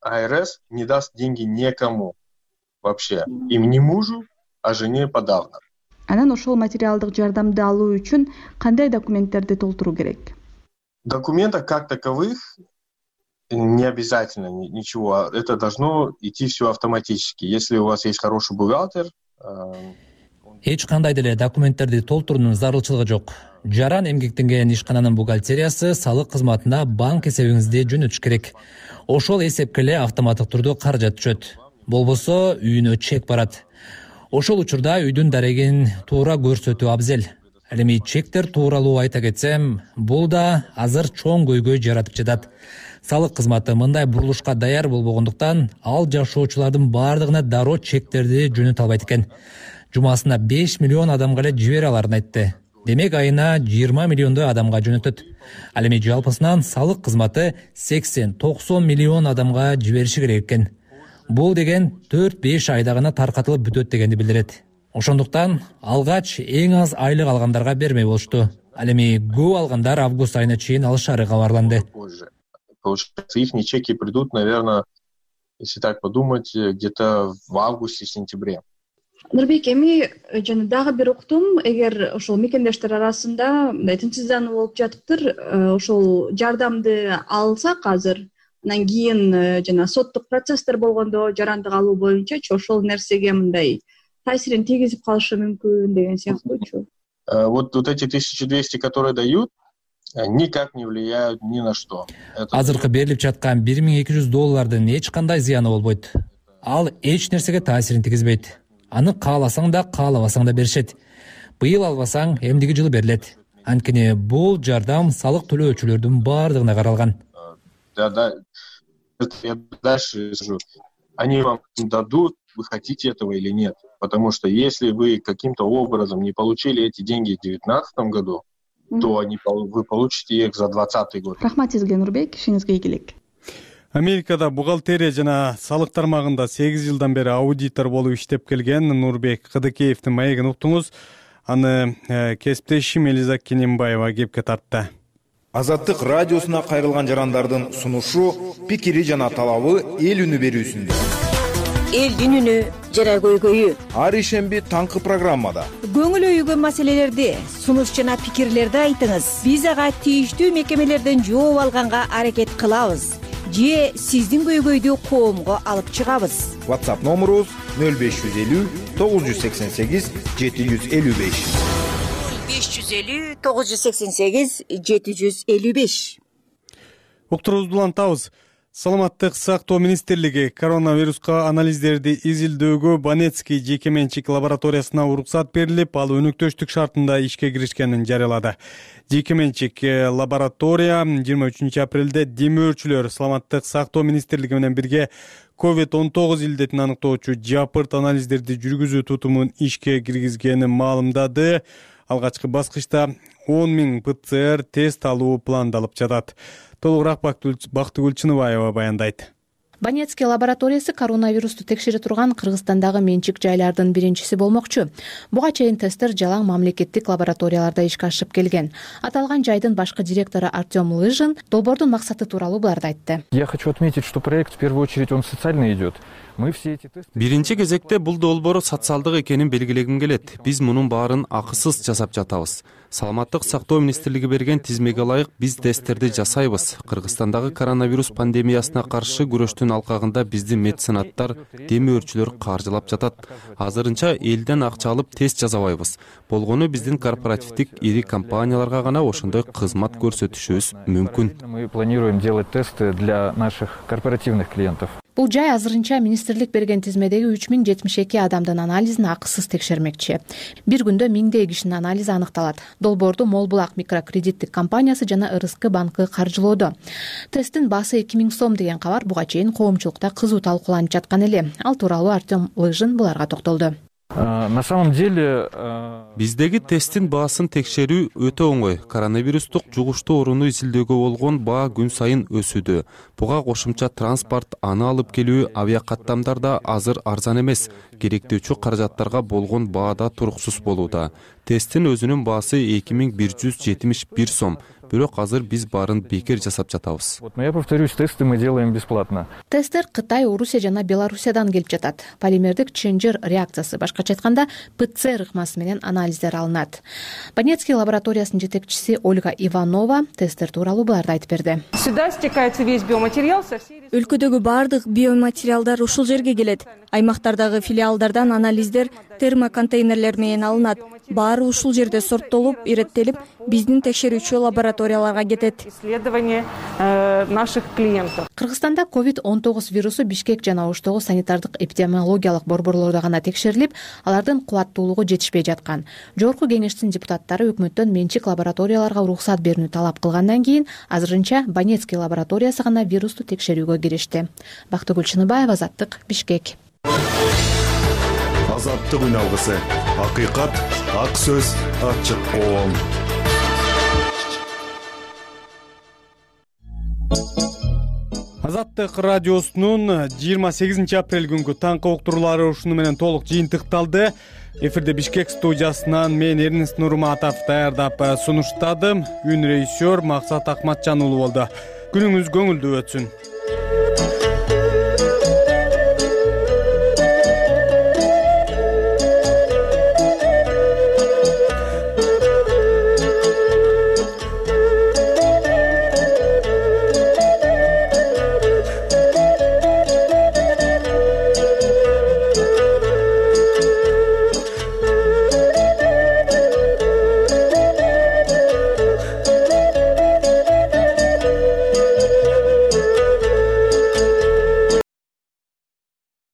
ай эр эс не даст деньги никому вообще, им ни мужу, а жене подавно. Анан ошол материалдык жардамды алуу үчүн кандай документтерди толтуруу керек? Документов как таковых не обязательно ничего. Это должно идти все автоматически. Если у вас есть хороший бухгалтер, эч кандай деле документтерди толтуруунун зарылчылыгы жок. Жаран эмгектенген ишкананын бухгалтериясы салык кызматына банк эсебиңизди жөнөтүш керек. Ошол эсепке эле автоматтык түрдө каражат түшөт. Болбосо үйүнө чек барат. Ошол учурда үйдүн дарегин туура көрсөтүү абзел. Ал эми чектер тууралуу айта кетсем, бул да азыр чоң көйгөй жаратып жатат. Салык кызматы мындай бурулушка даяр болбогондуктан, ал жашоочулардын бардыгына дароо чектерди жөнөтө албайт экен. Жумасына беш миллион адамга эле жибере аларын айтты. Демек айына жыйырма миллиондой адамга жөнөтөт. Ал эми жалпысынан салык кызматы сексен токсон миллион адамга жибериши керек экен. Бул деген төрт беш айда гана таркатылып бүтөт дегенди билдирет. Ошондуктан алгач эң аз айлык алгандарга бермей болушту. Ал эми көп алгандар август айына чейин алышары кабарланды. Получается, их чеки придут, наверное, если так подумать, где-то в августе-сентябре. Нурбек, эми жана дагы бир уктум, эгер ошол мекендештер арасында мындай тынчсыздануу болуп жатыптыр, ошол жардамды алсак азыр, анан кийин жана соттук процесстер болгондо жарандык алуу боюнчачы ошол нерсеге мындай таасирин тийгизип калышы мүмкүн деген сыяктуучу. Вот вот эти тысяча двести, которые дают, никак не влияют ни на что. Азыркы берилип жаткан бир миң эки жүз доллардын эч кандай зыяны болбойт. Ал эч нерсеге таасирин тийгизбейт. Аны кааласаң да, каалабасаң да беришет. Быйыл албасаң, эмдиги жылы берилет. Анткени бул жардам салык төлөөчүлөрдүн баардыгына каралган. Да, да. Я дальше скажу. Они вам дадут, вы хотите этого или нет. Потому что если вы каким-то образом не получили эти деньги в две тысячи девятнадцатом году, то они, вы получите их за двадцатый год. Рахмат сизге, Нурбек, ишиңизге ийгилик. Америкада бухгалтерия жана салык тармагында сегиз жылдан бери аудитор болуп иштеп келген Нурбек Кыдыкеевдин маегин уктуңуз. Аны кесиптешим Элиза Кененбаева кепке тартты. Азаттык радиосуна кайрылган жарандардын сунушу, пикири жана талабы эл үнү берүүсүндө. Элдин үнү жана көйгөйү. Ар ишемби таңкы программада. Көңүл өйгөн маселелерди, сунуш жана пикирлерди айтыңыз. Биз ага тийиштүү мекемелерден жооп алганга аракет кылабыз. Же сиздин көйгөйдү коомго алып чыгабыз. WhatsApp номерубуз нөл беш жүз элүү тогуз жүз сексен сегиз жети жүз элүү беш. нөл беш жүз элүү тогуз жүз сексен сегиз жети жүз элүү беш. Уктуруубузду улантабыз. Саламаттык сактоо министрлиги коронавируска анализдерди изилдөөгө Банецкий жеке менчик лабораториясына уруксат берилип, ал өнөктөштүк шартында ишке киришкенин жарыялады. Жеке менчик лаборатория жыйырма үчүнчү апрелде демөөрчүлөр Саламаттык сактоо министрлиги менен бирге ковид он тогуз илдетин аныктоочу жапырт анализдерди жүргүзүү тутумун ишке киргизгенин маалымдады. Алгачкы баскычта он миң ПЦР тест алуу пландалып жатат. Толугураак Бактыгүл Чыныбаева баяндайт. Банецкий лабораториясы коронавирусту текшере турган Кыргызстандагы менчик жайлардын биринчиси болмокчу. Буга чейин тесттер жалаң мамлекеттик лабораторияларда ишке ашып келген. Аталган жайдын башкы директору Артем Лыжин долбоордун максаты тууралуу буларды айтты. Я хочу отметить, что проект в первую очередь он социально идет. Биринчи кезекте бул долбоор социалдык экенин белгилегим келет. Биз мунун баарын акысыз жасап жатабыз. Саламаттык сактоо министрлиги берген тизмеге ылайык биз тесттерди жасайбыз. Кыргызстандагы коронавирус пандемиясына каршы күрөштүн алкагында биздин меценаттар, демөөрчүлөр каржылап жатат. Азырынча элден акча алып тест жасабайбыз. Болгону биздин корпоративдик ири компанияларга гана ошондой кызмат көрсөтүшүбүз мүмкүн. Мы планируем делать тесты для наших корпоративных клиентов. Бул жай азырынча министрлик берген тизмедеги үч миң жетимиш эки адамдын анализин акысыз текшермекчи. Бир күндө миңдей кишинин анализи аныкталат. Долбоорду Молбулак микрокредиттик компаниясы жана РСК банкы каржылоодо. Тесттин баасы эки миң сом деген кабар буга чейин коомчулукта кызуу талкууланып жаткан эле. Ал тууралуу Артем Лыжин буларга токтолду. На самом деле биздеги тесттин баасын текшерүү өтө оңой. Коронавирустук жугуштуу орунду изилдөөгө болгон баа күн сайын өсүүдө. Буга кошумча транспорт, аны алып келүү, авиакаттамдар да азыр арзан эмес. Керектүүчү каражаттарга болгон баа да туруксуз болууда. Тесттин өзүнүн баасы эки миң бир жүз жетимиш бир сом. Бирок азыр биз баарын бекер жасап жатабыз. Вот, но я повторюсь, тесты мы делаем бесплатно. Тесттер Кытай, Орусия жана Белоруссиядан келип жатат. Полимердик чынжыр реакциясы, башкача айтканда ПЦР ыкмасы менен анализдер алынат. Банецкий лабораториясынын жетекчиси Ольга Иванова тесттер тууралуу буларды айтып берди. Сюда стекается весь биоматериал со всей... Өлкөдөгү баардык биоматериалдар ушул жерге келет. Аймактардагы филиалдардан анализдер термоконтейнерлер менен алынат. Баары ушул жерде сорттолуп, иреттелип, биздин текшерүүчү лабораторияларга кетет. Исследование наших клиентов. Кыргызстанда ковид он тогуз вирусу Бишкек жана Оштогу санитардык эпидемиологиялык борборлордо гана текшерилип, алардын кубаттуулугу жетишпей жаткан. Жогорку кеңештин депутаттары өкмөттөн менчик лабораторияларга уруксат берүүнү талап кылгандан кийин азырынча Банецкий лабораториясы гана вирусту текшерүүгө киришти. Бактыгүл Чыныбаева, Азаттык, Бишкек. Азаттык үн алгысы. Акыйкат, ак сөз, ачык коом. Азаттык радиосунун жыйырма сегизинчи апрель күнгү таңкы уктуруулары ушуну менен толук жыйынтыкталды. Эфирде Бишкек студиясынан мен Эрнест Нурматов даярдап сунуштадым. Үн режиссер Максат Акматжан уулу болду. Күнүңүз көңүлдүү өтсүн.